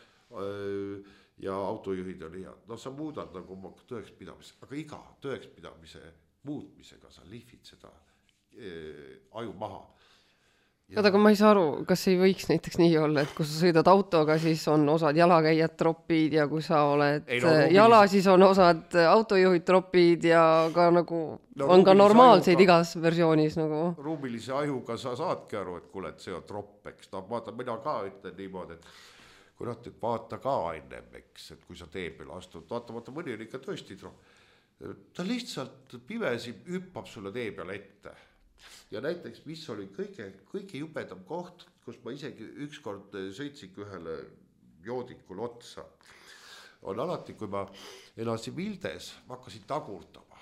ja autojuhid on head. No sa muudad nagu oma tõekspidamise, aga iga tõekspidamise muutmisega sa lihvid seda aju maha. Aga ma ei saa aru, kas ei võiks näiteks nii olla, et kui sa sõidad autoga, siis on osad jalakäijad tropid ja kui sa oled jala, siis on osad autojuhid tropid ja ka nagu on ka normaalseid igas versioonis nagu. Ruumilise ajuga sa saadki aru, et kuule, et see on tropp, eks. No vaata, mina ka ütlen niimoodi, et kurat, et vaata ka ennem, eks, et kui sa tee peale astud, vaata, mõni on ikka tõesti tropp. Ta lihtsalt pimesi hüppab sulle tee peale ette. Ja näiteks, mis oli kõige jubedam koht, kus ma isegi ükskord sõitsik ühele joodikul otsa, on alati, kui ma elasin Vildes, ma hakkasin tagurdama.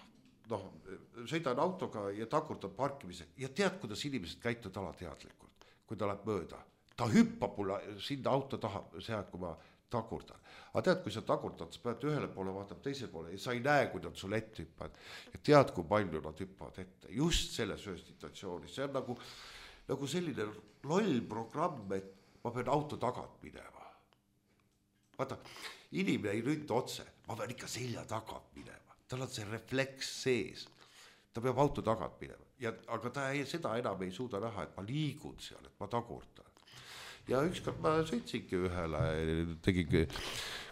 Sõidan autoga ja tagurdan parkimise ja tead, kuidas inimesed käituvad alateadlikult, kui ta läheb mööda. Ta hüppab mulle sinna auto taha, see aeg, kui ma tagurdan. Aga tead, kui sa tagurdad, sa pead ühele poole vaatama teise poole ja sa ei näe, kui nad sulle ette hüppavad. Ja tead, kui palju nad hüppavad ette. Just selles ühes situatsioonis. See on nagu selline loll programm, et ma pean auto tagant minema. Vaata, inimene ei ründa otse. Ma pean ikka selja tagant minema. Tal on see refleks sees. Ta peab auto tagant minema. Aga ta seda enam ei suuda näha, et ma liigun seal, et ma tagurdan. Ja ükskord ma sõitsingi ühele, tegingi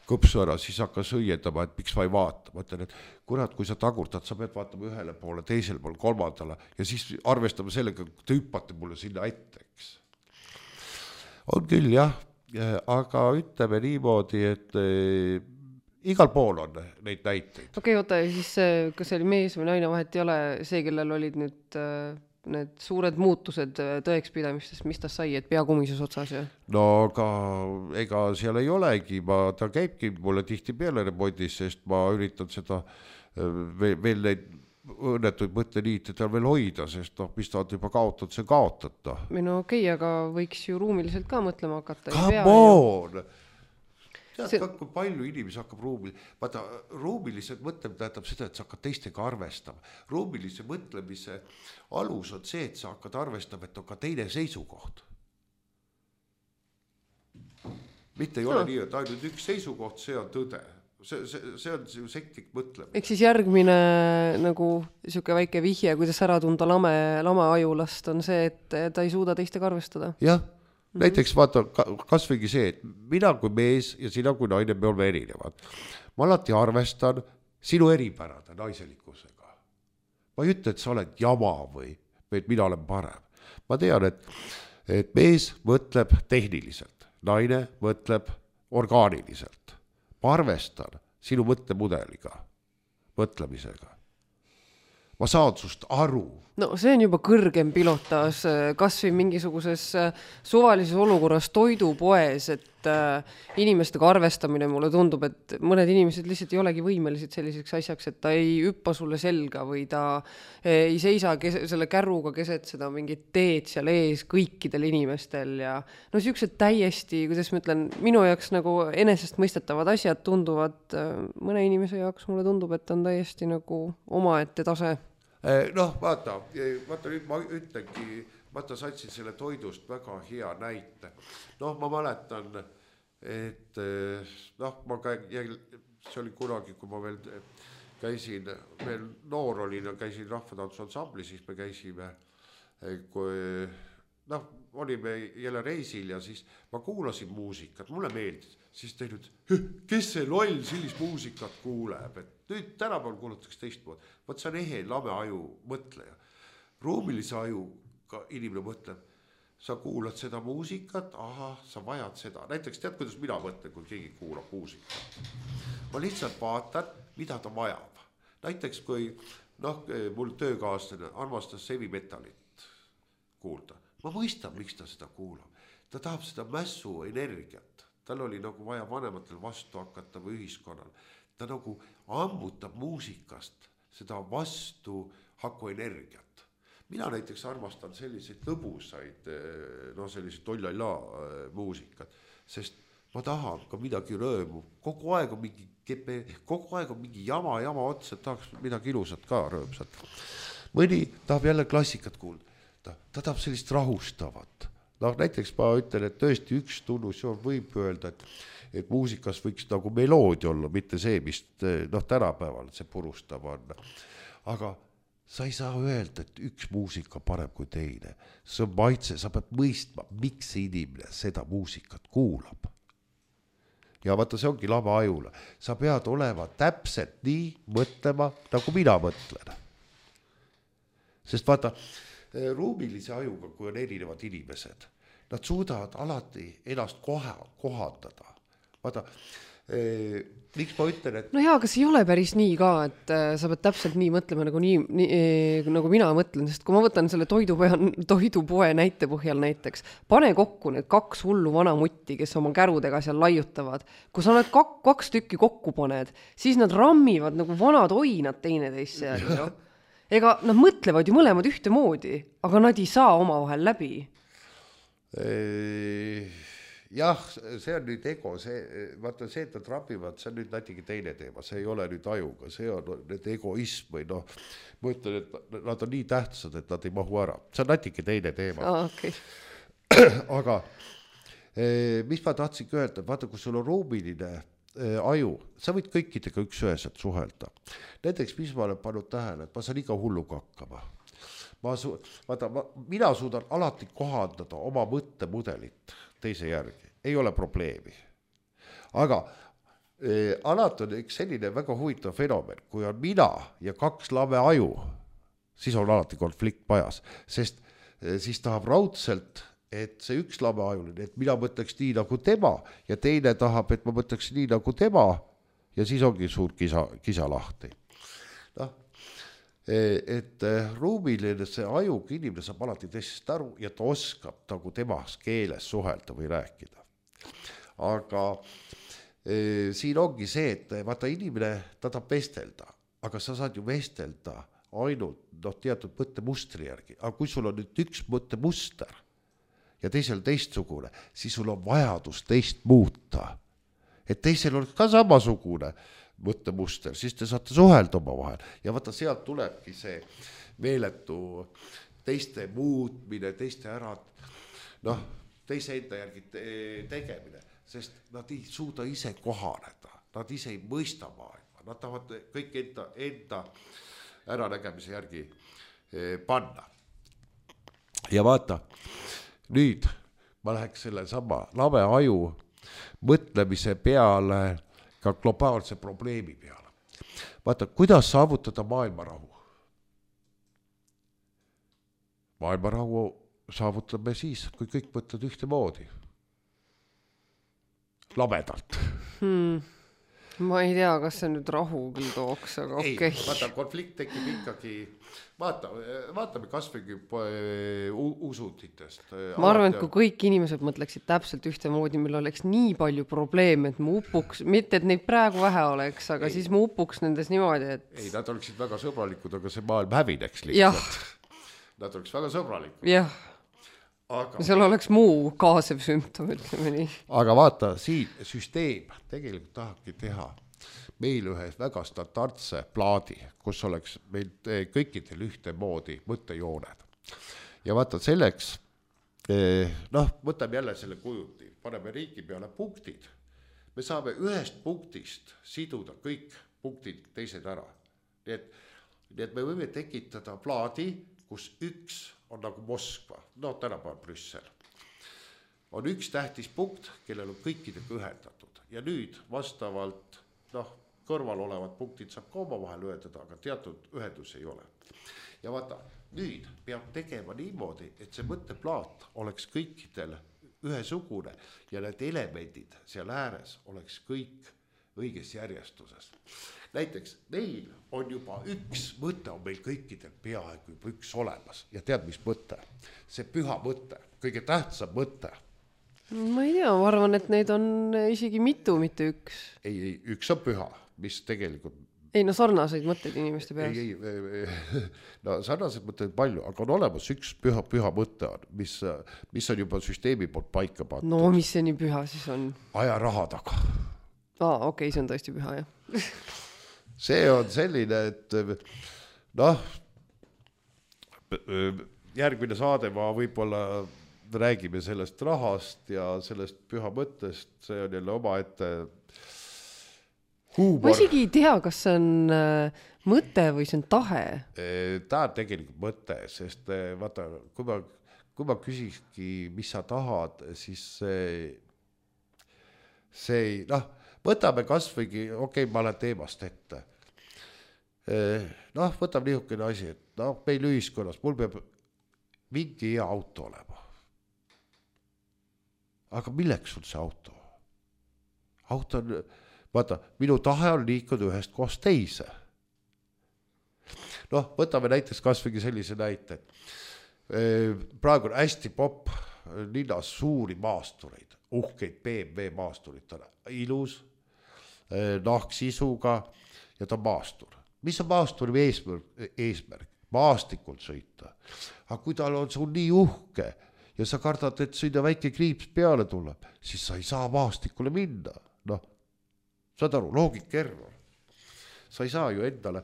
kõpsu ära, siis hakkas õiendama, et miks ma ei vaata. Ma ütlen, et kurat, kui sa tagurtad, sa pead vaatama ühele poole, teisele poole, kolmandale ja siis arvestame sellega, kui te hüppate mulle sinna ette, eks. On küll, jah, aga ütleme niimoodi, et igal pool on neid näiteid. Okei, oota, siis kas see oli mees või naine, vahet ei ole see, kellel olid nüüd need suured muutused tõekspidamistest, mis ta sai, et pea kumises otsas ja? No aga ega seal ei olegi, ta käibki mulle tihti peale remondis, sest ma üritan seda veel neid õnnetuid mõtteliite tal veel hoida, sest mis ta on juba kaotanud, see kaotada. No okei, aga võiks ju ruumiliselt ka mõtlema hakata. Come on! Tead, kui palju inimesi hakkab ruumiliselt mõtlemine tähendab seda, et sa hakkad teistega arvestama. Ruumilise mõtlemise alus on see, et sa hakkad arvestama, et on ka teine seisukoht. Mitte ei ole nii, et ainult üks seisukoht, see on tõde. See on sektlik mõtlemine. Ehk siis järgmine nagu siuke väike vihje, kuidas ära tunda lame ajulast on see, et ta ei suuda teistega arvestada. Jah. Näiteks vaata, kas võigi see, et mina kui mees ja sina kui naine, me oleme erinevad. Ma alati arvestan sinu eripärade naiselikkusega. Ma ei ütle, et sa oled jama või et mina olen parem. Ma tean, et mees mõtleb tehniliselt, naine mõtleb orgaaniliselt. Ma arvestan sinu mõttemudeliga, mõtlemisega. Ma saan sust aru. No see on juba kõrgem pilotaas, kas või mingisuguses suvalises olukorras toidupoes, et inimestega arvestamine mulle tundub, et mõned inimesed lihtsalt ei olegi võimelised selliseks asjaks, et ta ei hüppa sulle selga või ta ei seisa selle kärruga keset seda mingit teed seal ees kõikidel inimestel ja no siuksed täiesti, kuidas ma ütlen, minu jaoks nagu enesest mõistetavad asjad tunduvad, mõne inimese jaoks mulle tundub, et on täiesti nagu omaette tase. Vaata nüüd ma ütlengi, vaata satsin selle toidust väga hea näite. Ma mäletan, et see oli kunagi, kui ma veel käisin, veel noor olin ja käisin rahvatantsuansambli, siis me käisime, olime jälle reisil ja siis ma kuulasin muusikat, mulle meeldis, siis tein nüüd, kes see loll sellist muusikat kuuleb, et nüüd tänapäeval kuulatakse teistmoodi. Võt see on ehe lame aju mõtleja. Ruumilise ajuga inimene mõtleb, sa kuulad seda muusikat, sa vajad seda. Näiteks tead, kuidas mina mõtlen, kui keegi kuulab muusikat. Ma lihtsalt vaatan, mida ta vajab. Näiteks kui mul töökaaslane armastas heavy metalit kuulda. Ma mõistan, miks ta seda kuulab. Ta tahab seda mässu energiat. Tal oli nagu vaja vanematel vastu hakata või ühiskonnal. Ta nagu ammutab muusikast seda vastu haku energiat. Mina näiteks armastan selliseid lõbusaid, selliseid tollala muusikat, sest ma tahan ka midagi rõõmu. Kogu aeg on mingi jama otsa, tahaks midagi ilusat ka rõõmsat. Mõni tahab jälle klassikat kuulda. Ta tahab sellist rahustavat. Näiteks ma ütlen, et tõesti üks tunnusjoon võib öelda, et muusikas võiks nagu meloodia olla, mitte see, mis tänapäeval see purustab on. Aga sa ei saa öelda, et üks muusika parem kui teine. See on maitse, sa pead mõistma, miks inimene seda muusikat kuulab. Ja vaata, see ongi lava ajule. Sa pead olema täpselt nii mõtlema, nagu mina mõtlen. Sest vaata, ruumilise ajuga, kui on erinevad inimesed, nad suudavad alati ennast kohandada. Vaata, miks ma ütlen, et... No jaa, aga see ei ole päris nii ka, et sa pead täpselt nii mõtlema nagu nagu mina mõtlen, sest kui ma võtan selle toidupoe näite põhjal näiteks, pane kokku need 2 hullu vana mutti, kes oma kärudega seal laiutavad. Kui sa need 2 tükki kokku paned, siis nad rammivad nagu vanad oinad teineteisse järgi. No? Ega nad mõtlevad ju mõlemad ühte moodi, aga nad ei saa omavahel läbi. Jah, see on nüüd ego, vaata see, et nad rapivad, see on nüüd natuke teine teema, see ei ole nüüd ajuga, see on nüüd egoism või noh, ma ütlen, et nad on nii tähtsad, et nad ei mahu ära, see on natuke teine teema. Okay. Aga mis ma tahtsin öelda, vaata, kui sul on ruumiline aju, sa võid kõikidega üks-üheselt suhelda. Näiteks, mis ma olen pannud tähele, et ma saan iga hulluga hakkama. Mina suudan alati kohandada oma mõttemudelit teise järgi, ei ole probleemi. Aga alati on üks selline väga huvitav fenomen, kui on mina ja 2 lave aju, siis on alati konflikt pajas, sest siis tahab raudselt, et see üks lave ajuline, et mina mõtleks nii nagu tema ja teine tahab, et ma mõtleks nii nagu tema ja siis ongi suur kisa lahti. Noh, et ruumiline see ajuga inimene saab alati teisest aru ja ta oskab nagu temas keeles suhelda või rääkida. Aga siin ongi see, et vaata inimene, ta tahab vestelda, aga sa saad ju vestelda ainult teatud mõttemustri järgi. Aga kui sul on nüüd üks mõttemuster ja teisel teistsugune, siis sul on vajadus teist muuta. Et teisel oleks ka samasugune mõttemuster, siis te saate suhelda oma vahel. Ja vaata, sealt tulebki see meeletu teiste muutmine, teiste ära, teise enda järgi tegemine, sest nad ei suuda ise kohaneda, nad ise ei mõista maailma, nad tahavad kõik enda äranägemise järgi panna. Ja vaata, nüüd ma läheks selle sama lave aju mõtlemise peale ka globaalse probleemi peale. Vaata, kuidas saavutada maailmarahu? Maailmarahu saavutame siis, kui kõik mõtled ühte moodi. Lamedalt. Ma ei tea, kas see nüüd rahu küll tooks, aga okei. Ei, vaata, konflikt tekib ikkagi, vaatame kasvõi usutitest. Ma arvan, et kui kõik inimesed mõtleksid täpselt ühte moodi, meil oleks nii palju probleeme, et mu upuks, mitte et neid praegu vähe oleks, aga siis mu upuks nendes niimoodi, et... Ei, nad oleksid väga sõbralikud, aga see maailm hävineks lihtsalt. Nad oleks väga sõbralikud. Jah. Aga... seal oleks muu kaasev sümptom, ütleme nii. Aga vaata, siin süsteem tegelikult tahabki teha meil ühe väga standardse plaadi, kus oleks meil kõikidel ühte moodi mõttejooned. Ja vaata selleks, võtame jälle selle kujuti, paneme riigi peale punktid. Me saame ühest punktist siduda kõik punktid teised ära. Nii et me võime tekitada plaadi, kus üks on nagu Moskva, tänapäeval Brüssel. On üks tähtis punkt, kellel on kõikidega ühendatud. Ja nüüd vastavalt, kõrval olevad punktid saab ka oma vahel ühendada, aga teatud ühendus ei ole. Ja vaata, nüüd peab tegema niimoodi, et see mõtteplaat oleks kõikidel ühesugune ja need elemendid seal ääres oleks kõik õiges järjestuses. Näiteks meil on juba üks mõte on meil kõikidel peaaegu juba üks olemas ja tead, mis mõte? See püha mõte, kõige tähtsam mõte. Ma ei tea, ma arvan, et neid on isegi mitu, mitte üks. Ei, üks on püha, mis tegelikult... Ei, sarnaseid mõtteid inimeste peas. Sarnaseid mõtteid palju, aga on olemas üks püha mõte, mis on juba süsteemi poolt paika pandud. No, mis see nii püha siis on? Aja raha taga. Okei, see on tõesti püha, jah. See on selline, et järgmine saade ma võib-olla räägime sellest rahast ja sellest püha mõttest, see on jälle oma ette Ma isegi ei tea, kas see on mõte või see on tahe. Ta on tegelikult mõte, sest vaata, kui ma küsikski, mis sa tahad, siis see ei, noh, võtame kas võigi, okei, ma lähen teemast ette. Noh, võtame niisugune asi, et noh, meil ühiskonnas, mul peab mingi hea auto olema. Aga milleks sul see auto? Auto on, vaata, minu tahe on liikuda ühest kohast teise. Noh, võtame näiteks kas võigi sellise näite, et praegu on hästi popp linnas suuri maastureid, uhkeid BMW maasturid, ilus, nahksisuga ja ta on maastur. Mis on maasturi eesmärk? Maastikult sõita. Aga kui tal on sul nii uhke ja sa kardad, et sinna väike kriips peale tuleb, siis sa ei saa maastikule minna. Noh, saad aru, loogika error. Sa ei saa ju endale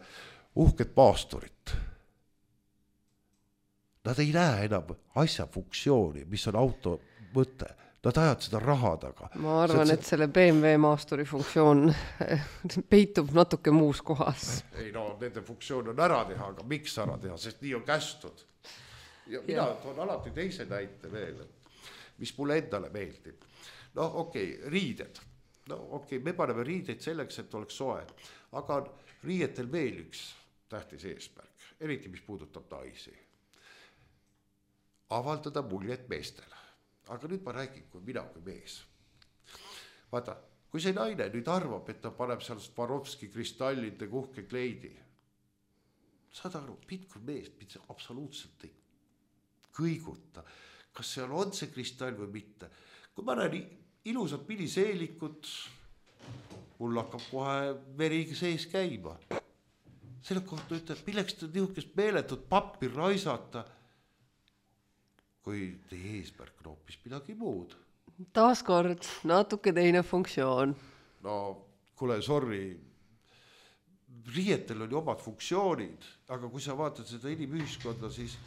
uhket maasturit. Nad ei näe enam asja funktsiooni, mis on auto mõte. Nad ajad seda raha taga. Ma arvan, et selle BMW maasturi funktsioon peitub natuke muus kohas. Ei no, nende funktsioon on ära teha, aga miks ära teha, sest nii on kästud. Ja mina toon alati teise näite veel, mis mulle endale meeldib. No okei, riided. No okei, me paneme riideid selleks, et oleks soe. Aga riietel veel üks tähtis eesmärk, eriti mis puudutab naisi. Avaldada muljet meestele. Aga nüüd ma räägin, kui mina kui mees. Vaata, kui see naine nüüd arvab, et ta paneb seal Swarovski kristallide kuhke kleidi, saad aru, mind kui mees, mind see absoluutselt ei kõiguta. Kas seal on see kristall või mitte? Kui ma näen ilusad miniseelikut, mul hakkab kohe veri sees käima. Selle kohta ütleb, milleks ta niisugust meeletut pappi raisata, kui teie eesmärk on hoopis midagi muud. Taaskord natuke teine funktsioon. No, kuule, sorry, riietel on ju omad funktsioonid, aga kui sa vaatad seda inimühiskonda, siis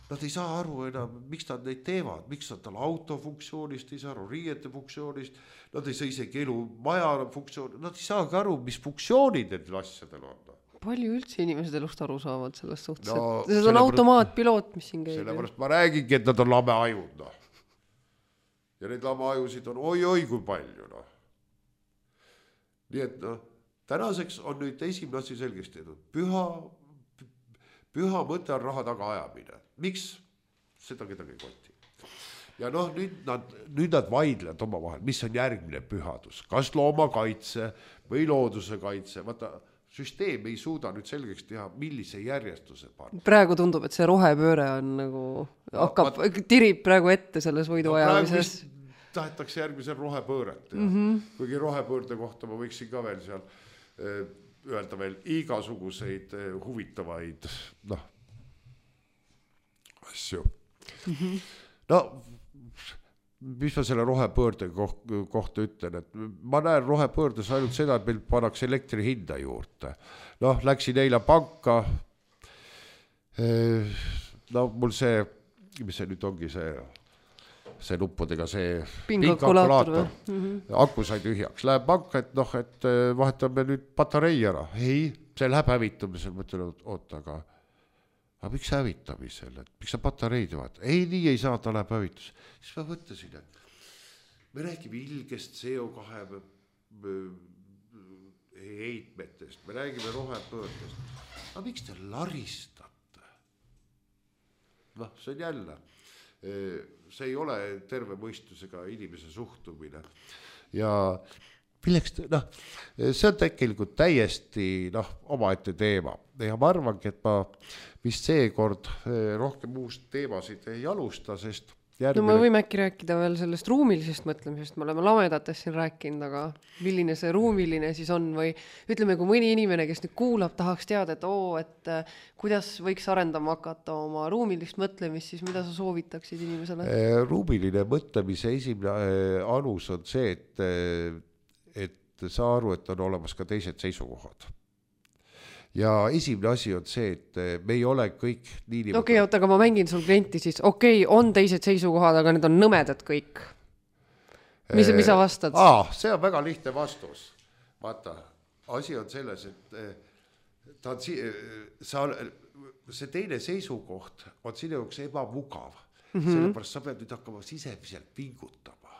nad ei saa aru enam, miks nad neid teevad, miks nad tal auto funktsioonist ei saa aru, riiete funktsioonist, nad ei saa isegi elu maja funktsioon, nad ei saagi aru, mis funktsioonid need asjadel on. Palju üldse inimesed elust aru saavad sellest suhtes, no, see on automaatpiloot, mis siin käib. Sellepärast ma räägingi, et nad on lame ajud. No. Ja need lame ajusid on oi kui palju. No. Nii et no, tänaseks on nüüd esimene asi selgeks tehtud. Püha mõte on raha taga ajamine. Miks? Seda kedagi ei koti. Ja noh, nüüd nad vaidlevad oma vahel, mis on järgmine pühadus. Kas loomakaitse või looduse kaitse? Vaata, süsteem ei suuda nüüd selgeks teha, millise järjestuse panna. Praegu tundub, et see rohepööre on nagu hakkab, tirib praegu ette selles võidu ajamises. Tahetakse järgmisel rohepööret. Kuigi rohepöörde kohta ma võiksin ka veel seal öelda veel igasuguseid huvitavaid asju. No, mis ma selle rohepöörde kohta ütlen, et ma näen rohepöördes ainult seda, et meil pannakse elektri hinda juurde. Noh, läksin eile panka, no mul see, mis see nüüd ongi see nuppudega see pingakulaator. Aku sai tühjaks, läheb panka, et noh, et vahetame nüüd patarei ära. Ei, see läheb hävitamisel, mõtlen, oota, aga miks hävitamisel, et miks sa patareid vaata? Ei, nii ei saa, ta läheb hävitus. Siis ma mõtlesin, et me räägime ilgest CO2 heitmetest, me räägime rohepöördest. Aga miks te laristate? Noh, see on jälle. See ei ole terve mõistusega inimese suhtumine. Ja milleks, see on tegelikult täiesti omaette teema. Ja ma arvangi, et ma vist seekord rohkem uust teemasid ei alusta, sest järgmine... No me võime äkki rääkida veel sellest ruumilisest mõtlemisest, me oleme lamedatest siin rääkinud, aga milline see ruumiline siis on või ütleme, kui mõni inimene, kes nüüd kuulab, tahaks teada, et kuidas võiks arendama hakata oma ruumilist mõtlemist, siis mida sa soovitaksid inimesele? Ruumiline mõtlemise esimene alus on see, et saa aru, et on olemas ka teised seisukohad. Ja esimene asi on see, et me ei ole kõik nii... Okei, aga ma mängin sul klienti siis. Okei, on teised seisukohad, aga need on nõmedad kõik. Mis sa vastad? See on väga lihtne vastus. Vaata, asi on selles, et ta on see teine seisukoht on sinu jaoks ebamugav. Sellepärast sa pead nüüd hakkama sisemiselt pingutama.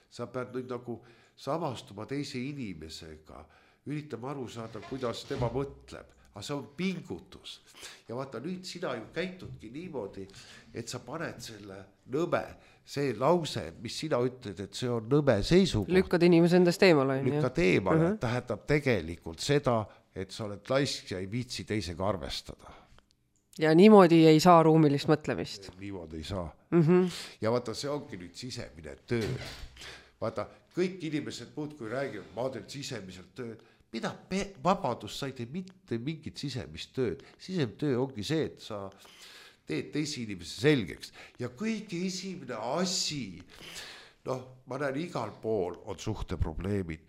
Sa pead nüüd nagu samastuma teise inimesega, üritama aru saada, kuidas tema mõtleb. Aga see on pingutus. Ja vaata, nüüd sina ju käitudki niimoodi, et sa paned selle nõme, see lause, mis sina ütled, et see on nõme seisukoht. Lükkad inimese endast eemale. Lükkad eemale, tähendab tegelikult seda, et sa oled laisk ja ei viitsi teisega arvestada. Ja niimoodi ei saa ruumilist mõtlemist. Niimoodi ei saa. Ja vaata, see ongi nüüd sisemine töö. Vaata, kõik inimesed muud kui räägivad, ma teen sisemiselt tööd. Mida vabadus sa ei tee mitte mingit sisemist tööd. Sisemine töö ongi see, et sa teed teisi inimese selgeks. Ja kõige esimene asi, ma näen igal pool on suhteprobleemid.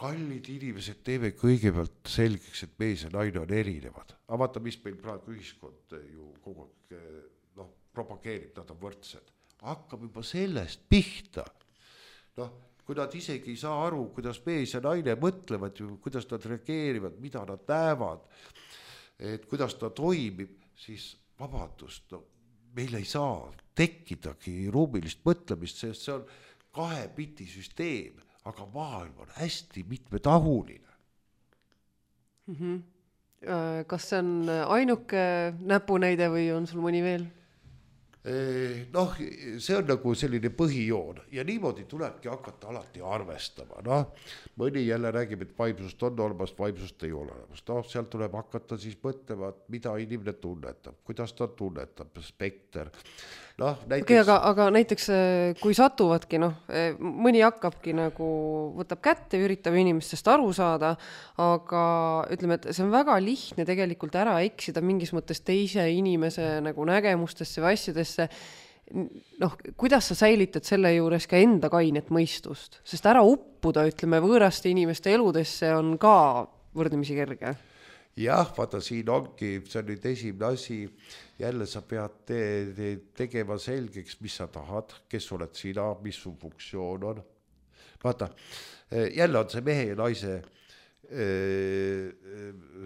Kallid inimesed teeme kõigepealt selgeks, et mees ja naine on erinevad. Aga vaata, mis meil praegu ühiskond ju kogu aeg propageerib, nad on võrdsed. Hakkab juba sellest pihta. Kui nad isegi ei saa aru, kuidas mees ja naine mõtlevad, kuidas nad reageerivad, mida nad näevad, et kuidas ta toimib, siis vabadust, meil ei saa tekkidagi ruumilist mõtlemist, sest see on 2 biti süsteem, aga maailm on hästi mitmetahuline. Kas see on ainuke näpunäide või on sul mõni veel? See on nagu selline põhijoon ja niimoodi tulebki hakata alati arvestama. Mõni jälle räägib, et vaimsust on olemas, vaimsust ei ole olemas. Sealt tuleb hakata siis mõtlema, mida inimene tunnetab, kuidas ta tunnetab, spekter. Näiteks... aga näiteks kui satuvadki, mõni hakkabki nagu, võtab kätte, üritab inimestest aru saada, aga ütleme, et see on väga lihtne tegelikult ära eksida mingis mõttes teise inimese nagu nägemustesse või asjadesse. Kuidas sa säilitad selle juures ka enda kainet mõistust? Sest ära uppuda, ütleme, võõraste inimeste eludesse on ka võrdlemisi kerge. Jah, vaata, siin ongi, see on nüüd esimene asi, jälle sa pead tegema selgeks, mis sa tahad, kes oled sina, mis su funktsioon on. Vaata, jälle on see mehe ja naise,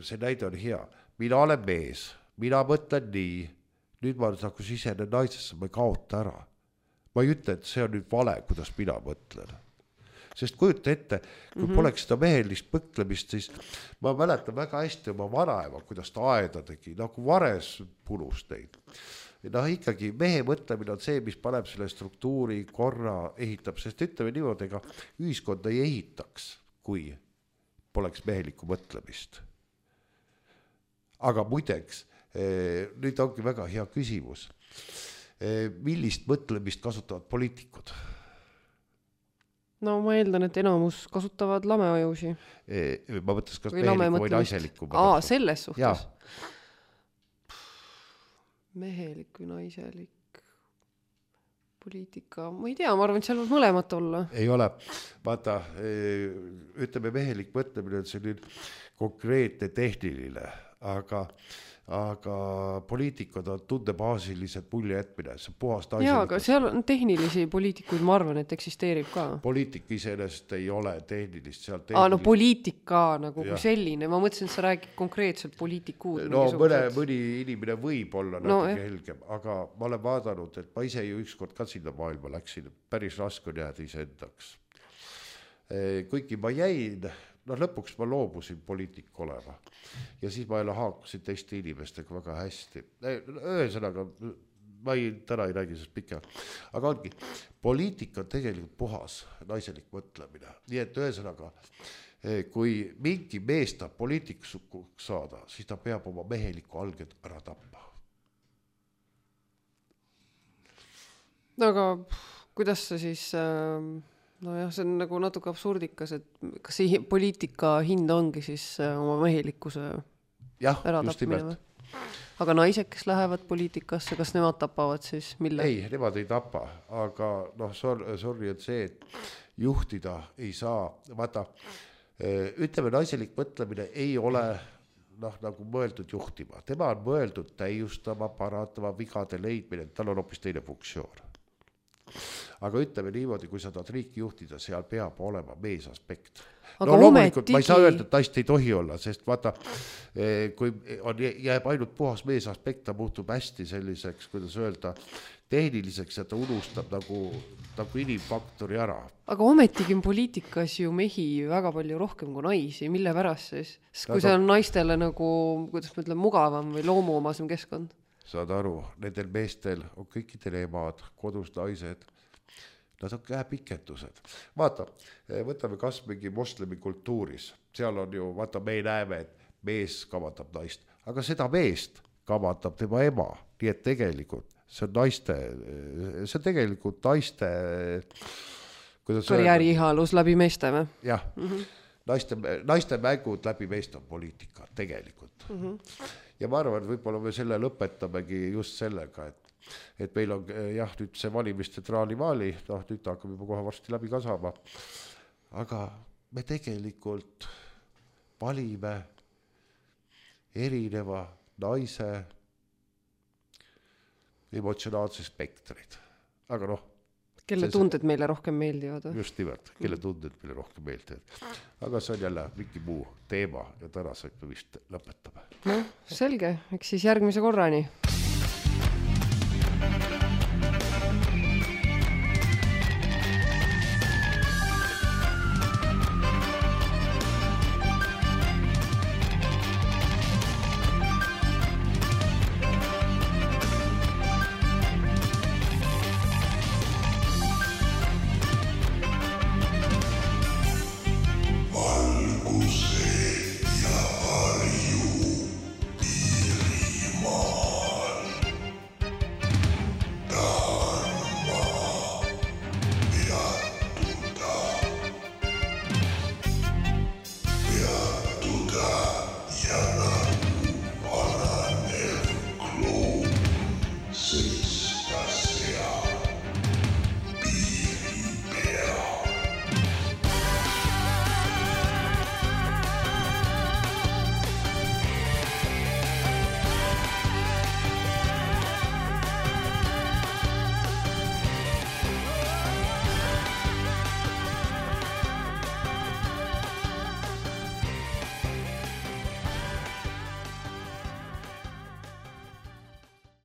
see näide on hea. Mina olen mees, mina mõtlen nii, nüüd ma nagu sisenen naisesse, ma ei kaota ära. Ma ei ütle, et see on nüüd vale, kuidas mina mõtlen. Sest kujuta ette, kui poleks seda mehelist mõtlemist, siis ma mäletan väga hästi oma vanaema, kuidas ta aeda tegi, nagu vares punus neid. Ikkagi mehe mõtlemine on see, mis paneb selle struktuuri korra ehitab, sest ütleme niimoodi, ega ühiskonda ei ehitaks, kui poleks mehelikku mõtlemist. Aga muideks, nüüd ongi väga hea küsimus. Millist mõtlemist kasutavad poliitikud? Ma eeldan, et enamus kasutavad lameajusi. Ma mõtles, kas mehelikku või naiselikku. Selles suhtes. Mehelik või naiselik poliitika. Ma ei tea, ma arvan, et seal võib mõlemat olla. Ei ole. Vaata, ütleme, mehelik mõtlemine on selline konkreetne tehniline, aga poliitikud on tundebaasilised mulje jätmine, see puhast naiselikkus. Jaa, aga seal on tehnilisi poliitikuid, ma arvan, et eksisteerib ka. Poliitik iseenesest ei ole tehnilist. Poliitika nagu kui selline, ma mõtlesin, et sa räägid konkreetselt poliitikuud. Mõni inimene võib olla natuke helgem, aga ma olen vaadanud, et ma ise ju ükskord ka sinna maailma läksin, päris raske on jääda iseendaks. Kuigi ma jäin, lõpuks ma loobusin poliitik olema ja siis ma jälle haakusin teiste inimestega väga hästi. Ühesõnaga, ma täna ei räägi sellest pikka, aga ongi, poliitika on tegelikult puhas naiselik mõtlemine. Nii et ühesõnaga, kui mingi mees tahab poliitikuks saada, siis ta peab oma meheliku alged ära tappa. Aga kuidas sa siis... see on nagu natuke absurdikas, et kas see poliitika hind ongi siis oma mehelikkuse äratapmine? Aga naised, kes lähevad poliitikasse, kas nemad tapavad siis mille? Ei, nemad ei tapa, aga sorry on see, et juhtida ei saa. Vaata, ütleme, naiselik mõtlemine ei ole nagu mõeldud juhtima. Tema on mõeldud täiustama, parandama, vigade leidmine, tal on hoopis teine funktsioon. aga ütleme niimoodi, kui sa tahad riiki juhtida, seal peab olema meesaspekt. Aga No loomulikult ma ei saa ometigi- öelda, et naist ei tohi olla, sest vaata, kui jääb ainult puhas meesaspekt, ta muutub hästi selliseks, kuidas öelda, tehniliseks ja ta unustab nagu inimfaktori ära. Aga ometigi on poliitikas ju mehi väga palju rohkem kui naisi, mille pärast siis? Sest kui Aga- see on naistele nagu, kuidas ma ütlen, mugavam või loomuomasem keskkond. Saad aru, nendel meestel on kõikidel emad, kodus naised, nad on käepikendused. Vaata, võtame kas mingi moslemi kultuuris, seal on ju, vaata, me näeme, et mees kavandab naist, aga seda meest kavandab tema ema, nii et tegelikult see on tegelikult naiste, kuidas Karjääri ihalus läbi meeste või? jah, naiste mängud läbi meeste on poliitika tegelikult. Ja ma arvan, et võib-olla me selle lõpetamegi just sellega, et meil on jah, nüüd see valimiste traalivaali, nüüd ta hakkab juba kohe varsti läbi kasama, aga me tegelikult valime erineva naise emotsionaalse spektrid, aga noh, Kelle tunded meile rohkem meeldivad või? just nimelt, kelle tunded meile rohkem meeldivad. Aga see on jälle mingi muu teema ja tänaseks me vist lõpetame. Selge, eks siis järgmise korrani.